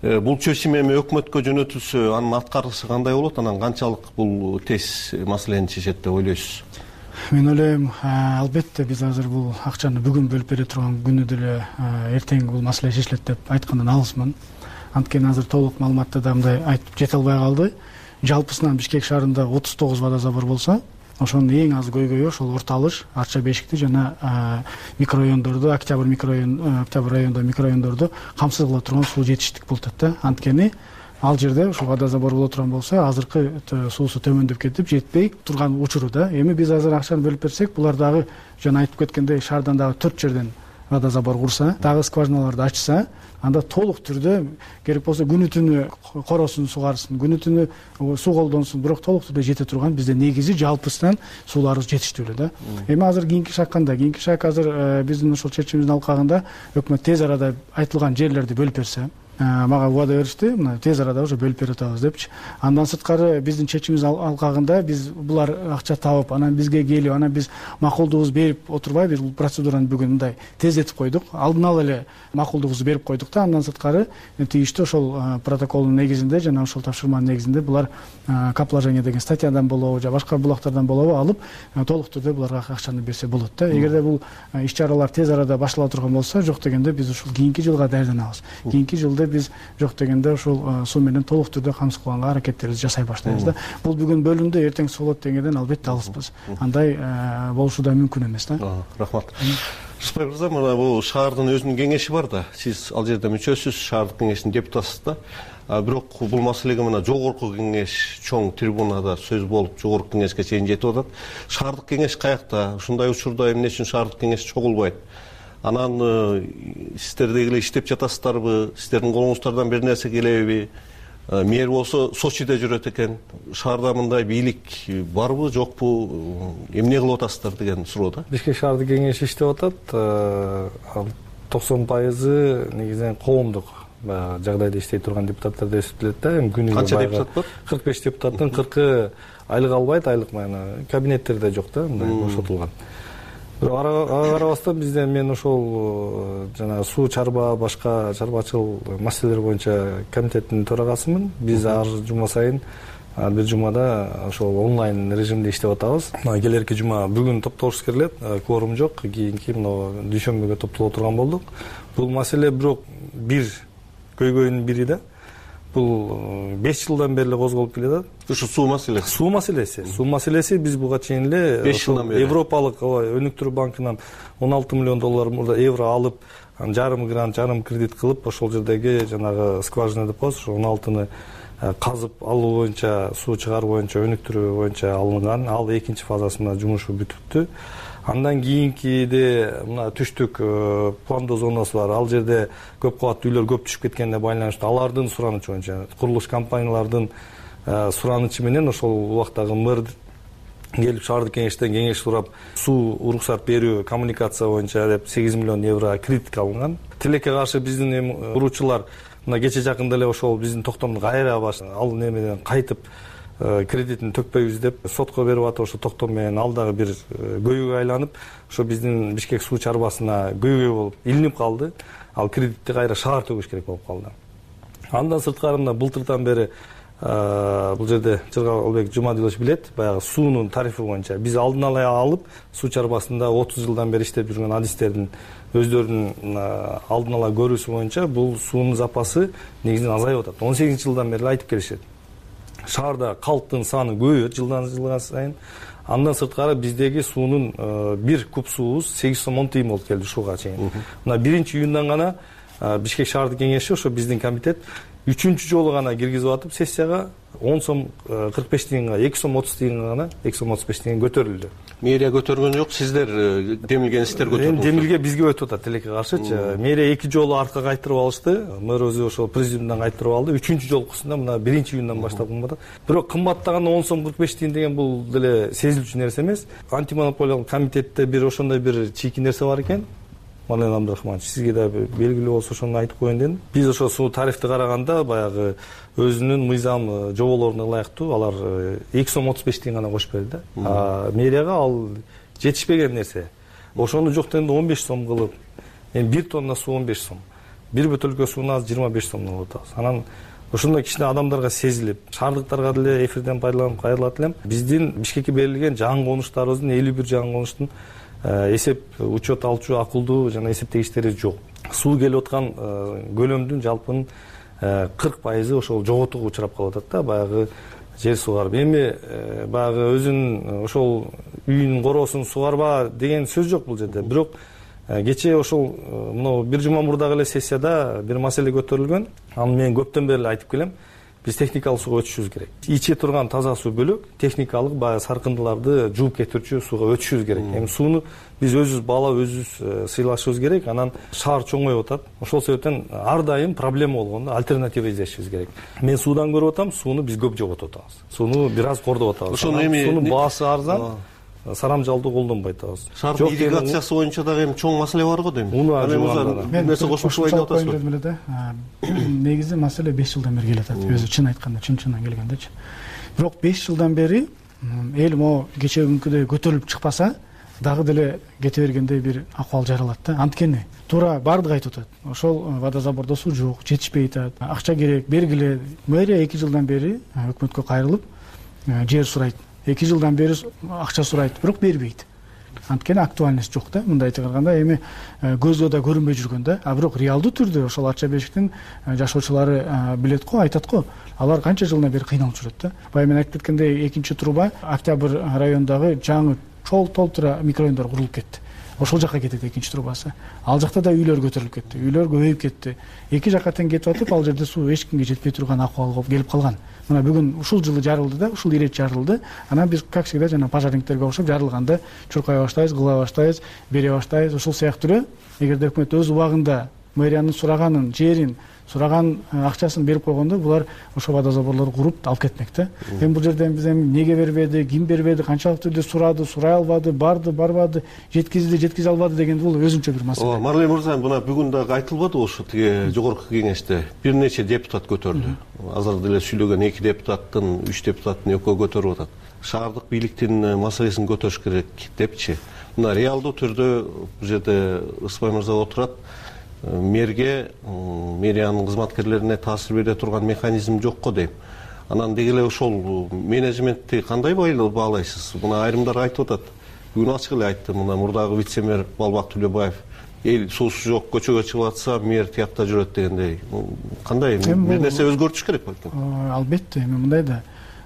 Бул чечим эми өкмөткө жөнөтүлсө, анын аткарышы кандай болот? Анан канчалык бул тез маселени чечет деп ойлойсуз? Мен ойлойм, албетте биз азыр бул акчаны бүгүн бөлүп бере турган күнү деле эртең бул маселе чечилет деп айткандан алысмын. Анткени азыр толук маалыматты да мындай айтып жете албай калды. Жалпысынан Бишкек шаарында отуз тогуз водозабор болсо, ошонун эң аз көйгөйү ошол Орто Алыш, Арча Бешикти жана микрорайондорду, Октябрь микрорайон, Октябрь райондогу микрорайондорду камсыз кыла турган суу жетиштик болуп атат да. Анткени ал жерде ушул водозабор боло турган болсо, азыркы суусу төмөндөп кетип жетпей турган учуру да. Эми биз азыр акчаны бөлүп берсек, булар дагы жана айтып кеткендей шаардан дагы төрт жерден водозабор курса, дагы скважиналарды ачса, анда толук түрдө керек болсо күнү түнү коросун сугарсын, күнү түнү суу колдонсун, бирок толук түрдө жете турган бизде негизи жалпысынан сууларыбыз жетиштүү эле да. Эми азыр кийинки шаг кандай? Кийинки шаг азыр биздин ошол чечимибиздин алкагында өкмөт тез арада айтылган жерлерди бөлүп берсе, мага убада беришти, мына тез арада уже бөлүп берип атабыз депчи. Андан сырткары биздин чечимибиз алкагында биз булар акча табып, анан бизге келип, анан биз макулдугубузду берип отурбайбыз. Бул процедураны бүгүн мындай тездетип койдук. Алдын ала эле макулдугубузду берип койдук да. Андан сырткары тийиштүү ошол протоколдун негизинде жана ошол тапшырманын негизинде булар капложение деген статьядан болобу, же башка булактардан болобу алып, толук түрдө буларга акчаны берсе болот да. Эгерде бул иш-чаралар тез арада баштала турган болсо, жок дегенде биз ушул кийинки жылга даярданабыз. Кийинки жылда биз жок дегенде ушул суу менен толук түрдө камсыз кылганга аракеттерибизди жасай баштайбыз да. Бул бүгүн бөлүндү, эртең суу болот дегенден албетте алыспыз. Андай болушу да мүмкүн эмес да. Рахмат. Рыспай мырза, мына бул шаардын өзүнүн кеңеши бар да. Сиз ал жерде мүчөсүз, шаардык кеңештин депутатысыз да. Бирок бул маселеге мына жогорку кеңеш чоң трибунада сөз болуп, жогорку кеңешке чейин жетип атат. Шаардык кеңеш каякта? Ушундай учурда эмне үчүн шаардык кеңеш чогулбайт? Анан сиздер дегиле иштеп жатасыздарбы? Сиздердин колуңуздардан бир нерсе келеби? Мэр болсо Сочиде жүрөт экен. Шаарда мындай бийлик барбы, жокпу? Эмне кылып атасыздар деген суроо да. Бишкек шаардык кеңеши иштеп атат. токсон пайызы негизинен коомдук баягы жагдайда иштей турган депутаттар деп эсептелет да. Эми күнүгө канча депутат бар? кырк беш депутаттын кыркы айлык албайт, айлык мына кабинеттерде жок да, мындай бошотулган. Бирок ага карабастан бизден мен ошол жана суу чарба, башка чарбачыл маселелер боюнча комитеттин төрагасымын. Биз ар жума сайын бир жумада ошол онлайн режимде иштеп атабыз. Келерки жума бүгүн топтолуш келет, кворум жок, кийинки мына дүйшөмбүгө топтоло турган болдук. Бул маселе бирок бир көйгөйүнүн бири да. Бул беш жылдан бери эле козголуп келатат. Ушу суу маселеси. Суу маселеси. Суу маселеси биз буга чейин эле беш жылдан бери Европалык өнүктүрүү банкынан он алты миллион доллар евро алып, жарым грант, жарым кредит кылып, ошол жердеги жанагы скважина деп коебуз, ошо он алтыны казып алуу боюнча, суу чыгаруу боюнча, өнүктүрүү боюнча алынган. Ал экинчи фазасында жумушу бүтүптү. Андан кийинкиде мына түштүк пландоо зонасы бар. Ал жерде көп кабаттуу үйлөр көп түшүп кеткенине байланыштуу алардын суранычы боюнча, курулуш компаниялардын суранычы менен ошол убактагы мэр келип шаардык кеңештен кеңеш сурап, суу уруксат берүү, коммуникация боюнча деп сегиз миллион евро кредит алынган. Тилекке каршы биздин эми куруучулар мына кече жакында эле ошол биздин токтомду кайра ал немеден кайтып кредитин төкпөйбүз деп сотко берип атып, ошо токтом менен ал дагы бир көйгөйгө айланып, ошо биздин Бишкек суу чарбасына көйгөй болуп илинип калды. Ал кредитти кайра шаар төгүш керек болуп калды. Андан сырткары мына былтырдан бери бул жерде Жыргалбек Жумадилович билет, баягы суунун тарифи боюнча биз алдын ала алып, суу чарбасында отуз жылдан бери иштеп жүргөн адистердин өздөрүнүн алдын ала көрүүсү боюнча бул суунун запасы негизинен азайып атат. он сегизинчи жылдан бери айтып келишет. Шаарда калктын саны көбөйөт жылдан жылга сайын. Андан сырткары биздеги суунун бир куб суубуз сегиз сом он тыйын болуп келди ушуга чейин. Мына биринчи июндан гана Бишкек шаардык кеңеши ошо биздин комитет үчүнчү жолу гана киргизип атып, сессияга он сом кырк беш тыйынга, эки сом отуз тыйынга гана, эки сом отуз беш тыйын көтөрүлдү. Мэрия көтөргөн жок, сиздер демилген сиздер көтөрдүңүздөр. Демилге бизге өтүп атат тилекке каршычы. Мэрия эки жолу артка кайтырып алышты. Мэр өзү ошол президиумдан кайтырып алды. Үчүнчү жолкусунда мына биринчи июндан баштап кымбат. Бирок кымбаттаганда он сом кырк беш тыйын деген бул деле сезилчү нерсе эмес. Антимонополиялык комитетте бир ошондой бир чийки нерсе бар экен. Марlen Абдрахманович, сизге да белгилүү болсо ошону айтып коеюн дедим. Биз ошо суу тарифти караганда баягы өзүнүн мыйзам жоболоруна ылайыктуу алар эки сом отуз беш тыйын гана кошуп берди да. А мэрияга ал жетишпеген нерсе. Ошону жок дегенде он беш сом кылып, эми бир тонна суу он беш сом. Бир бөтөлкө сууну азыр жыйырма беш сомдон алып атабыз. Анан ошондой кичине адамдарга сезилип, шаардыктарга деле эфирден пайдаланып кайрылат элем. Биздин Бишкекке берилген жаңы конуштарыбыздын элүү бир жаңы конуштун эсеп учет алчу акылдуу жана эсептегичтери жок. Суу келип аткан көлөмдүн жалпынын кырк пайызы ошол жоготууга учурап калып атат да. Баягы жер сугарып. Эми баягы өзүнүн ошол үйүнүн короосун сугарба деген сөз жок бул жерде. Бирок кечээ ошол мына бир жума мурдагы эле сессияда бир маселе көтөрүлгөн. Аны мен көптөн бери эле айтып келем. Биз техникалык сууга өтүшүбүз керек. Иче турган таза суу бөлөк, техникалык баягы саркындыларды жууп кетирчү сууга өтүшүбүз керек. Эми сууну биз өзүбүз баалап, өзүбүз сыйлашыбыз керек. Анан шаар чоңоюп атат. Ошол себептен ар дайым проблема болгондо альтернатива издешибиз керек. Мен суудан көрүп атам, сууну биз көп жоготуп атабыз. Сууну бир аз кордоп атабыз. Ошону эми суунун баасы арзан. Сарамжалды колдонбой атабыз. Шаардын ирригациясы боюнча дагы эми чоң маселе бар го дейм. Бир нерсе кошумча айтып атасызбы? Негизи маселе беш жылдан бери келе атат. Өзү чын айтканда, чын-чындан келгендечи. Бирок беш жылдан бери эл могу кечээ күнкүдөй көтөрүлүп чыкпаса, дагы деле кете бергендей бир акыбал жаралат да. Анткени туура баардыгы айтып атат. Ошол водозабордо суу жок, жетишпей атат. Акча керек, бергиле. Мэрия эки жылдан бери өкмөткө кайрылып жер сурайт. эки жылдан бери акча сурайт, бирок бербейт. Анткени актуальность жок да. Мындай айтканда эми көзгө да көрүнбөй жүргөн да. А бирок реалдуу түрдө ошол Ача бешиктин жашоочулары билет го, айтат го. Алар канча жылдан бери кыйналып жүрөт да. Баягы мен айтып кеткендей, экинчи труба Октябрь районундагы жаңы чол толтура микрорайондор курулуп кетти. Ошол жака кетет экинчи трубасы. Ал жакта да үйлөр көтөрүлүп кетти. Үйлөр көбөйүп кетти. Эки жака тең кетип атып, ал жерде суу эч кимге жетпей турган акыбалга келип калган. Мына бүгүн ушул жылы жарылды да, ушул ирет жарылды. Анан биз как всегда жана пожарниктерге окшоп жарылганда чуркай баштайбыз, кыла баштайбыз, бере баштайбыз. Ушул сыяктуу эле эгерде өкмөт өз убагында мэриянын сураганын, жерин, сураган акчасын берип койгондо, булар ошо водозаборлорду куруп алып кетмек да. Эми бул жерден биз эми неге бербеди, ким бербеди, канчалык түрдө сурады, сурай албады, барды, барбады, жеткизди, жеткизе албады деген бул өзүнчө бир маселе. Ооба, Марлен мырза, мына бүгүн дагы айтылбады ошо тиги жогорку кеңеште бир нече депутат көтөрдү. Азыр деле сүйлөгөн эки депутаттын, үч депутаттын экөө көтөрүп атат. Шаардык бийликтин маселесин көтөрүш керек депчи. Мына реалдуу түрдө бул жерде Ысбай мырза отурат. Мэрге, мэриянын кызматкерлерине таасир бере турган механизм жок го дейм. Анан деги эле ошол менеджментти кандай баалайсыз? Мына айрымдар айтып атат. Бүгүн ачык эле айтты, мына мурдагы вице-мэр Балбак Төлөбаев, эл суусу жок, көчөгө чыгып атса, мэр тиякта жүрөт дегендей. Кандай бир нерсе өзгөртүш керек белким? Албетте, эми мындай да.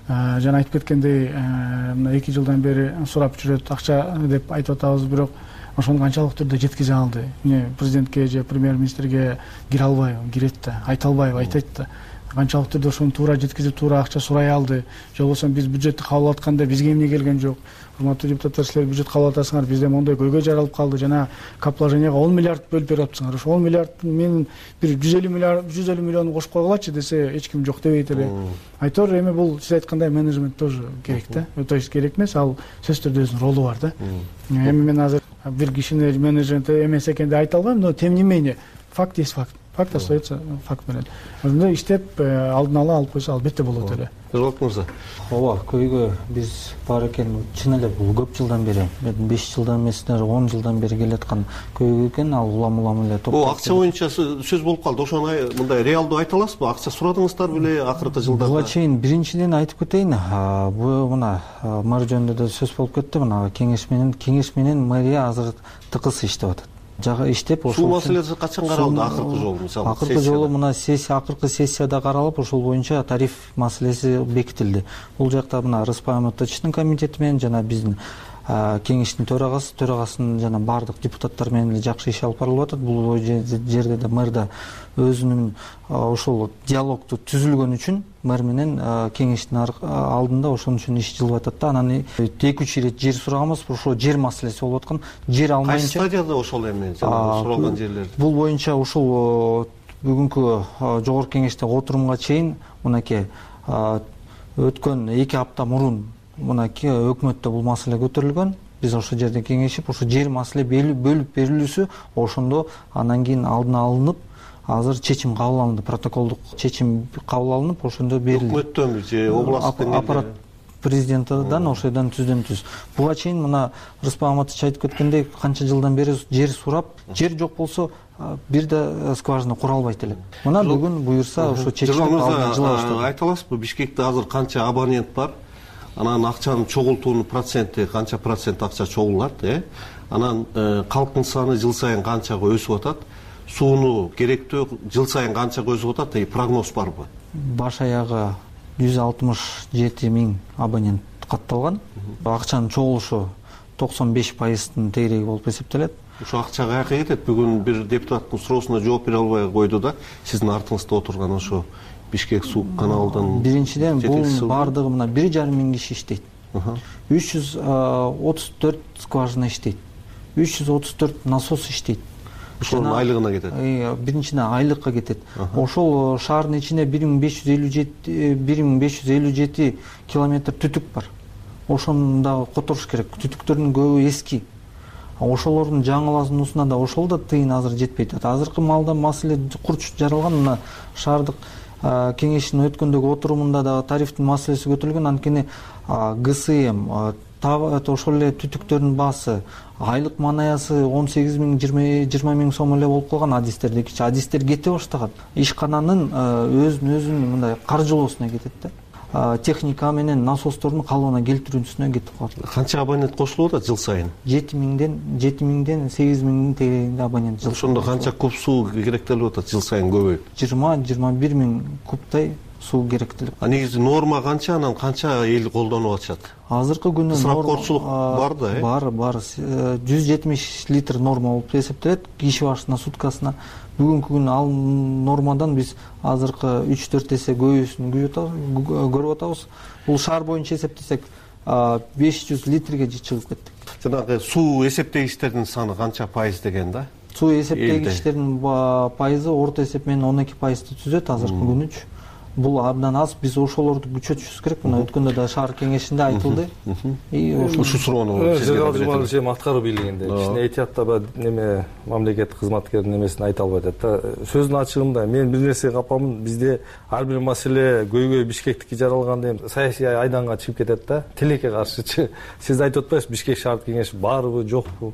Жана айтып кеткендей, мына эки жылдан бери сурап жүрөт, акча деп айтып атабыз, бирок ошону канчалык түрдө жеткизе алды? Эмне президентке же премьер-министрге кире албайбы? Кирет да, айта албайбы? Айтат да. Канчалык түрдө ошону туура жеткизип, туура акча сурай алды? Же болбосо биз бюджетти кабыл алып атканда бизге эмне келген жок? Урматтуу депутаттар, силер бюджет кабыл алып атасыңар, бизде мондой көйгөй жаралып калды, жана капложенияга он миллиард бөлүп берип атыпсыңар. Ошо он миллиард мен бир жүз элүү миллиард, жүз элүү миллион кошуп койгулачы десе, эч ким жок дебейт эле. Айтор эми бул сиз айткандай менеджмент тоже керек да. То есть керек эмес, ал сөзсүз түрдө өзүнүн ролу бар да. Эми мен азыр бир кишини менеджмент эмес экен деп айта албайм, но тем не менее факт есть факт. Факт остается факт менен. Ошондой иштеп алдын ала алып койсо албетте болот эле. Жолок мырза. Ооба, көйгөй биз бар экен. Чын эле бул көп жылдан бери, беш жылдан эмес, он жылдан бери келаткан көйгөй экен. Ал улам-улам эле топ. Бул акча боюнча сөз болуп калды. Ошону мындай реалдуу айта аласызбы? Акча сурадыңыздар беле акыркы жылдарда? Буга чейин биринчиден айтып кетейин. Бу мына мэр жөнүндө да сөз болуп кетти. Мына кеңеш менен, кеңеш менен мэрия азыр тыкыз иштеп атат. Жага иштеп ошол суу маселеси качан каралды акыркы жолу мисалы? Акыркы жолу мына сессия, акыркы сессияда каралып, ошол боюнча тариф маселеси бекитилди. Бул жакта мына Рыспай Мамытовичтин комитети менен жана биздин кеңештин төрагасы, төрагасынын жана баардык депутаттар менен жакшы иш алып барылып атат. Бул жерде да мэр да өзүнүн ошол диалогду түзүлгөн үчүн мэр менен кеңештин алдында ошон үчүн иш жылып атат да. Анан эки үч ирет жер сураганбыз, ошол жер маселеси болуп аткан. Жер алмайынча. Кайсы стадияда ошол эми суралган жерлер? Бул боюнча ушул бүгүнкү жогорку кеңештеги отурумга чейин мынакей өткөн эки апта мурун мынакей өкмөттө бул маселе көтөрүлгөн. Биз ошол жерде кеңешип, ошо жер маселе бөлүп берилүүсү ошондо анан кийин алдына алынып, азыр чечим кабыл алынды, протоколдук чечим кабыл алынып, ошондо берилди. Өкмөттөн же областтын аппарат президентидан ошойдон түздөн түз. Буга чейин мына Рыспай Мамытович айтып кеткендей, канча жылдан бери жер сурап, жер жок болсо бир да скважина кура албайт элек. Мына бүгүн буюрса ошо чечим алдына жыла баштады. Айта аласызбы, Бишкекте азыр канча абонент бар? Анан акчанын чогултуунун проценти канча процент акча чогулат, э? Анан калктын саны жыл сайын канчага өсүп атат? Сууну керектүү жыл сайын канчага өсүп атат? Прогноз барбы? Баш аягы жүз алтымыш жети миң абонент катталган. Акчанын чогулушу токсон беш пайыздын тегереги болуп эсептелет. Ошо акча каяка кетет? Бүгүн бир депутаттын суроосуна жооп бере албай койду да. Сиздин артыңызда отурган ошо Бишкек суу каналынан. Биринчиден бул баардыгы мына бир жарым миң киши иштейт. үч жүз отуз төрт скважина иштейт. үч жүз отуз төрт насос иштейт. Ошонун айлыгына кетет. Биринчиден айлыкка кетет. Ошол шаардын ичинде бир миң беш жүз элүү жети бир миң беш жүз элүү жети километр түтүк бар. Ошону дагы которуш керек. Түтүктөрдүн көбү эски. Ошолордун жаңыласуусуна да ошол да тыйын азыр жетпейт. Азыркы маалда маселе курч жаралган. Мына шаардык кеңештин өткөндөгү отурумунда дагы тарифтин маселеси көтөрүлгөн. Анткени ГСМ ошол эле түтүктөрдүн баасы, айлык манаясы он сегиз миң жыйырма миң сом эле болуп калган. Адистерде кичи адистер кете баштаган. Ишкананын өзүн өзүнүн мындай каржылоосуна кетет да. Техника менен насостордун калыбына келтирүүсүнө кетип калат. Канча абонент кошулуп атат жыл сайын? жети миңден жети миңден сегиз миңдин тегерегинде абонент жыл. Ошондо канча куб суу керектелип атат жыл сайын көбөйүп? жыйырма жыйырма бир миң кубтай суу керектелип. А негизи норма канча, анан канча эл колдонуп атышат? Азыркы күнү ысырапкорчулук бар да, э? Бар, бар. жүз жетимиш литр норма болуп эсептелет киши башына суткасына. Бүгүнкү күнү ал нормадан биз азыркы үч төрт эсе көбүсүн көрүп атабыз. Бул шаар боюнча эсептесек беш жүз литрге чыгып кеттик. Жанагы суу эсептегичтердин саны канча пайыз деген да? Суу эсептегичтердин пайызы орто эсеп менен он эки пайызды түзөт азыркы күнүчө. Бул абдан аз. Биз ошолорду күчөтүшүбүз керек. Мына өткөндө да шаар кеңешинде айтылды. Ушул суроону сизге аткаруу бийлигинде кичине этияттабы неме мамлекеттик кызматкердин немесин айта албай атат да. Сөздүн ачыгында мен бир нерсеге капамын. Бизде ар бир маселе көйгөй Бишкектики жаралганда эми саясий айданга чыгып кетет да. Тилекке каршычы. Сиз айтып атпайсызбы Бишкек шаардык кеңеш барбы, жокпу?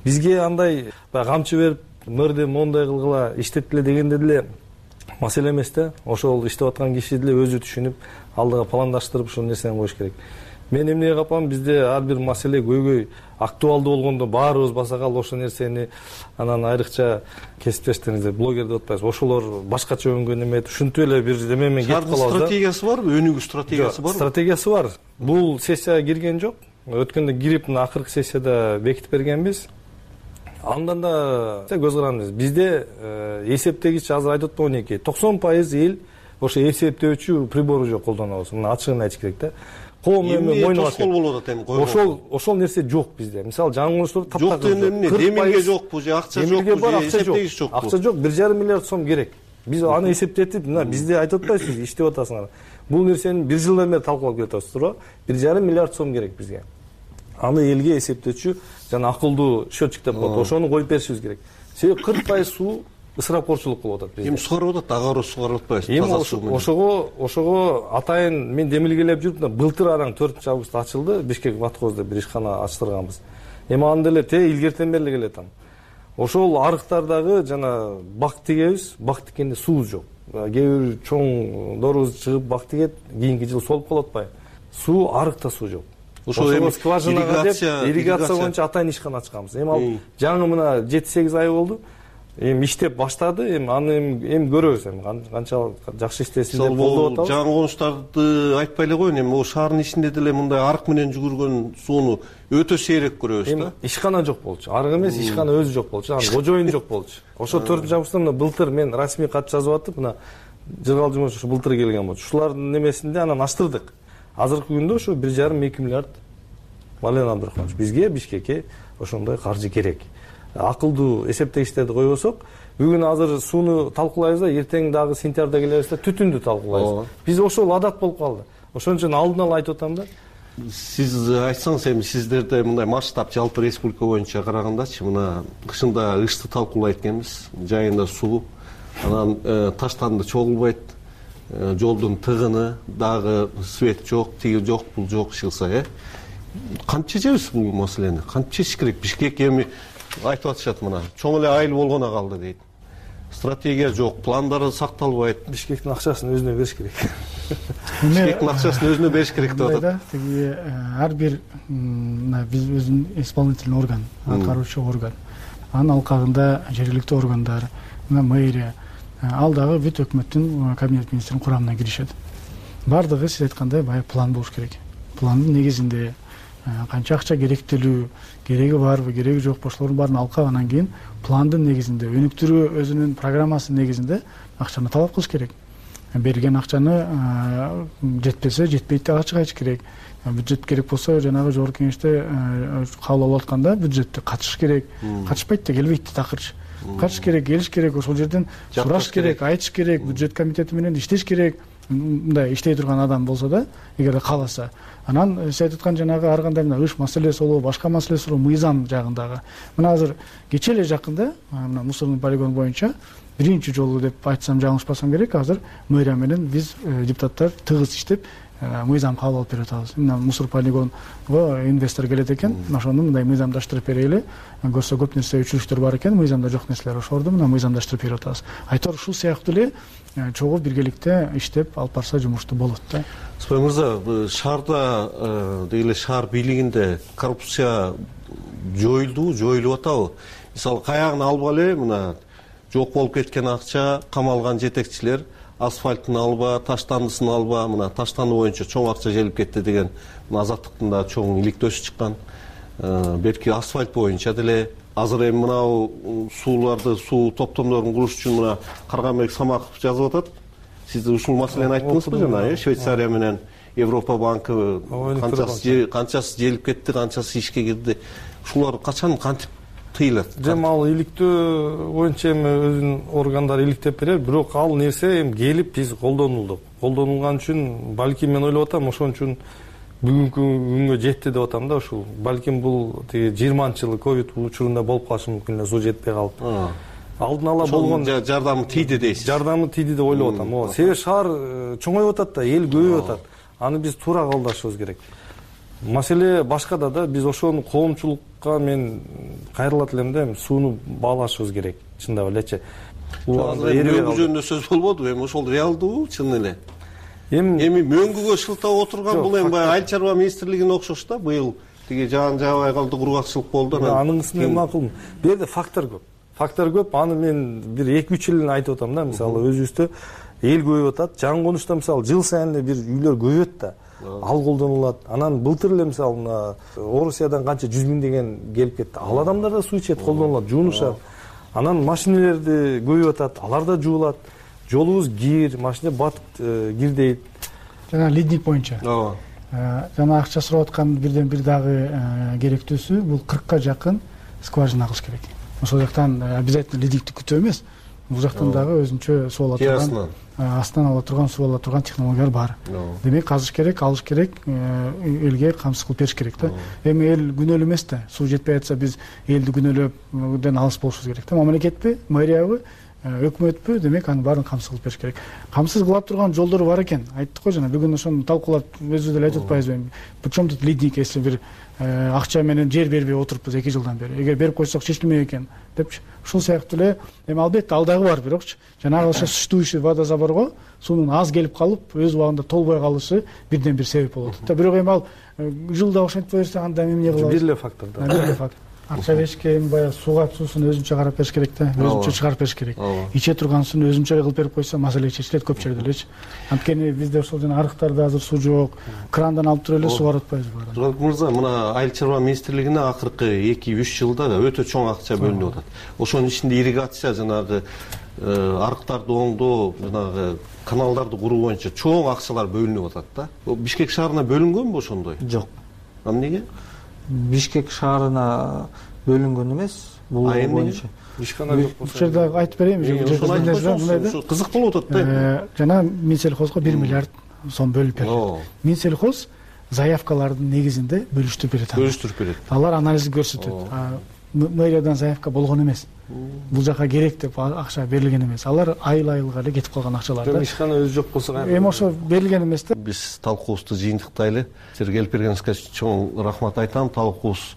Бизге андай камчы берип, мөрдө мондай кылгыла, иштеттиле дегенде деле маселе эмес да. Ошол иштеп аткан киши деле өзү түшүнүп, алдыга пландаштырып ушул нерсени коюш керек. Мен эмнеге капам, бизде ар бир маселе көйгөй актуалдуу болгондо баарыбыз баса калып ошол нерсени анан айрыкча кесиптештериңиздер, блогер деп атпайсызбы, ошолор башкача өнгөн эме ушинтип эле бир эме менен кетип калабыз да. Стратегиясы барбы? Өнүгүү стратегиясы барбы? Стратегиясы бар. Бул сессияга кирген жок. Өткөндө кирип мына акыркы сессияда бекитип бергенбиз. Андан да көз карандыңыз. Бизде эсептегич азыр айтып атпаймы он эки токсон пайыз эл ошо эсептөөчү прибору жок колдонобуз. Мына ачыгын айтыш керек да. Коом эми мойнуна болуп атат эми. Ошол ошол нерсе жок бизде. Мисалы жаңылыштар таптак жок эмне? Демилге жокпу же акча жокпу же эсептегич жокпу? Акча жок, бир жарым миллиард сом керек. Биз аны эсептетип, мына бизде айтып атпайсызбы, иштеп атасыңар. Бул нерсени бир жылдан бери талкуулап келатабыз, туура? бир жарым миллиард сом керек бизге. Аны элге эсептөөчү жана акылдуу счетчик деп коет. Ошону коюп беришибиз керек. Себеби кырк пайыз суу ысырапкорчулук кылып атат бизде. Эми сугарып атат, ага сугарып атпайсызбы? Эми ошого ошого атайын мен демилгелеп жүрүп, былтыр араң төртүнчү августта ачылды, Бишкек Ватхозда бир ишкана ачтырганбыз. Эми аны деле те илгертен бери келет аны. Ошол арыктардагы жана бак тигебиз, бак тиккенде суу жок. Кээ бир чоң дорубуз чыгып бак тигет, кийинки жыл солуп калып атпайбы? Суу арыкта суу жок. Ошол эми скважинага деп ирригация боюнча атайын ишкана ачканбыз. Эми ал жаңы мына жети сегиз ай болду. Эми иштеп баштады. Эми аны эми көрөбүз эми канча жакшы иштесин деп колдоп атабыз. Жаңы конуштарды айтпай эле коеюн. Эми о шаардын ичинде деле мындай арык менен жүгүргөн сууну өтө сейрек көрөбүз да. Ишкана жок болчу. Арык эмес, ишкана өзү жок болчу. Анан кожоюн жок болчу. Ошо төртүнчү августта мына былтыр мен расмий кат жазып атып, мына Жыргал Жумош ушу былтыр келген болчу. Ушулардын немесинде анан аштырдык. Азыркы күндө ошо бир жарым эки миллиард Мален Абдрахманович, бизге Бишкекке ошондой каржы керек. Акылдуу эсептегичтерди койбосок, бүгүн азыр сууну талкуулайбыз да, эртең дагы сентябрда келебиз да, түтүндү талкуулайбыз. Биз ошол адат болуп калды. Ошон үчүн алдын ала айтып атам да. Сиз айтсаңыз, эми сиздерде мындай масштаб жалпы республика боюнча карагандачы, мына кышында ышты талкуулайт экенбиз, жайында суу, анан таштанды чогулбайт, жолдун тыгыны, дагы свет жок, тиги жок, бул жок шылса, э? Канча чечебиз бул маселени? Канча чечиш керек? Бишкек эми айтып атышат мына, чоң эле айыл болгоно калды дейт. Стратегия жок, пландары сакталбайт. Бишкектин акчасын өзүнө бериш керек. Бишкектин акчасын өзүнө бериш керек деп атат. Тиги ар бир биз өзүн исполнительный орган, аткаруучу орган, анын алкагында жергиликтүү органдар, мына мэрия, ал дагы бүт өкмөттүн кабинет министринин курамына киришет. баардыгы сиз айткандай баягы план болуш керек. Пландын негизинде канча акча керектелүү, кереги барбы, кереги жокпу, ошолордун баарын алкап анан кийин пландын негизинде, өнүктүрүү өзүнүн программасынын негизинде акчаны талап кылыш керек. Берилген акчаны жетпесе, жетпейт деп ачык айтыш керек. Бюджет керек болсо, жанагы жогорку кеңеште кабыл алып атканда бюджетте катышыш керек. Катышпайт да келбейт да такырчы. Катышыш керек, келиш керек, ошол жерден сураш керек, айтыш керек, бюджет комитети менен иштеш керек. Мындай иштей турган адам болсо да, эгер кааласа. Анан сиз айтып аткан жанагы ар кандай мына ыш маселеси болобу, башка маселеси болобу, мыйзам жагындагы. Мына азыр кечээ эле жакында мына мусордун полигону боюнча биринчи жолу деп айтсам жаңылышпасам керек, азыр мэрия менен биз депутаттар тыгыз иштеп мыйзам кабыл алып берип атабыз. Мына мусор полигонго инвестор келет экен, ошону мындай мыйзамдаштырып берели. Көрсө көп нерсе үчүлүштөр бар экен, мыйзамда жок нерселер, ошолорду мына мыйзамдаштырып берип атабыз. Айтор ушул сыяктуу эле чогуу биргеликте иштеп алып барса жумушту болот да. Сыпай мырза, шаарда деги эле шаар бийлигинде коррупция жоюлдубу, жоюлуп атабы? Мисалы каягын албай эле мына жок болуп кеткен акча, камалган жетекчилер асфальтын алба, таштандысын алба, мына таштанды боюнча чоң акча желип кетти деген мына Азаттыктын да чоң иликтөөсү чыккан. Берки асфальт боюнча деле азыр эми мынау сууларды, суу топтомдорун куруш үчүн мына Карганбек Самаков жазып атат. Сиз ушул маселени айттыңызбы жана, э? Швейцария менен Европа банкы канчасы канчасы желип кетти, канчасы ишке кирди. Ушулар качан кантип тыйылат? Жем ал иликтөө боюнча эми өзүнүн органдары иликтеп берет, бирок ал нерсе эми келип биз колдонулдук. Колдонулган үчүн балким мен ойлоп атам, ошон үчүн бүгүнкү күнгө жетти деп атам да. Ушул балким бул тиги жыйырманчы жылы ковид учурунда болуп калышы мүмкүн эле, суу жетпей калып. Алдын ала болгон жардамы тийди дейсиз. Жардамы тийди деп ойлоп атам. Ооба, себеби шаар чоңоюп атат да, эл көбөйүп атат. Аны биз туура кабылдашыбыз керек. Маселе башкада да, биз ошону коомчулукка мен кайрылат элем да, сууну баалашыбыз керек, чындап элечи. Мөңгү жөнүндө сөз болбоду, эми ошол реалдуубу, чын эле? Эми эми мөңгүгө шылтап отурган бул эми баягы айыл чарба министрлигине окшош да. Быйыл тиги жаан жаабай калды, кургакчылык болду. Аныңысына макул. Бу жерде фактор көп. Фактор көп. Аны мен бир эки үч жылын айтып атам да. Мисалы өзүбүздө эл көбөйүп атат. Жаңы конушта мисалы жыл сайын эле бир үйлөр көбөйөт да. Ал колдонулат. Анан былтыр эле мисалы мына Орусиядан канча жүз миң деген келип кетти. Ал адамдар да суу ичет, колдонулат, жуунушат. Анан машинелерди көбөйүп атат, алар да жуулат. Жолубуз кир, машина батып кирдейт. Жана лидник боюнча. Ооба. Жана акча сурап аткан бирден бир дагы керектүүсү бул кыркка жакын скважина кылыш керек. Ошол жактан обязательно лидникти күтүү эмес. Бул жактан дагы өзүнчө суу ала турган, астынан ала турган, суу ала турган технологиялар бар. Демек казыш керек, алыш керек, элге камсыз кылып бериш керек да. Эми эл күнөөлүү эмес да. Суу жетпей атса биз элди күнөөлөпдөн алыс болушубуз керек да. Мамлекетпи, мэриябы, өкмөтпү, демек анын баарын камсыз кылып бериш керек. Камсыз кыла турган жолдору бар экен. Айттык го жана бүгүн ошону талкуулап өзүбүз деле айтып атпайбызбы? Причем тут лидник, если бир акча менен жер бербей отуруппуз эки жылдан бери. Эгер берип койсок чечилмек экен депчи. Ушул сыяктуу эле эми албетте ал дагы бар, бирокчу жанагы ошо существующий водозаборго суунун аз келип калып, өз убагында толбой калышы бирден бир себеп болот да. Бирок эми ал жылда ошентип берсе анда эмне кылабыз? Бир эле фактор да. Бир эле фактор. Акча беришке эми баягы сууга суусун өзүнчө карап бериш керек да, өзүнчө чыгарып бериш керек. Иче турган сууну өзүнчө эле кылып берип койсо маселе чечилет көп жерде элечи. Анткени бизде ошол жана арыктарда азыр суу жок, крандан алып туруп эле сууга атпайбызбы? Турат мырза, мына айыл чарба министрлигине акыркы эки үч жылда өтө чоң акча бөлүнүп атат. Ошонун ичинде ирригация, жанагы арыктарды оңдоо, жанагы каналдарды куруу боюнча чоң акчалар бөлүнүп атат да. Бишкек шаарына бөлүнгөнбү ошондой? Жок. Эмнеге? Бишкек шаарына бөлүнгөн эмес. Бул боюнча ишкана жок болсо. Бул жерде айтып берейинби? Кызык болуп атат да. Жана Минсельхозго бир миллиард сом бөлүп берди. Минсельхоз заявкалардын негизинде бөлүштүрүп берет. Бөлүштүрүп берет. Алар анализ көрсөтөт. Мэриядан заявка болгон эмес. Бул жака керек деп акча берилген эмес. Алар айыл-айылга эле кетип калган акчалар да. Ишкана өзү жок болсо кайра. Эми ошо берилген эмес да. Биз талкуубузду жыйынтыктайлы. Сиз келип бергениңизге чоң рахмат айтам. Талкуубуз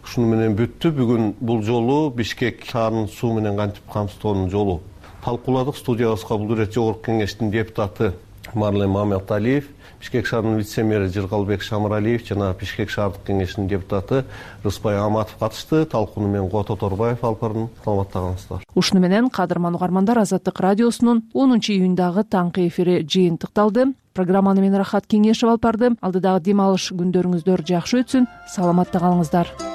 ушуну менен бүттү. Бүгүн бул жолу Бишкек шаарынын суу менен кантип камсыздоонун жолу талкууладык. Студиябызга бул ирет жогорку кеңештин депутаты Марлен Маматалиев, Бишкек шаарынын вице-мэри Жыргалбек Шамыралиев жана Бишкек шаардык кеңешинин депутаты Рыспай Аматов катышты. Талкууну мен Кото Торбаев алып бардым. Саламаттагыңыздар. Ушуну менен кадырман угармандар, Азаттык радиосунун онунчу июндагы таңкы эфири жыйынтыкталды. программаны мен Рахат Кеңешев алып бардым. Алдыдагы дем алыш күндөрүңүздөр жакшы өтсүн, саламатта калыңыздар.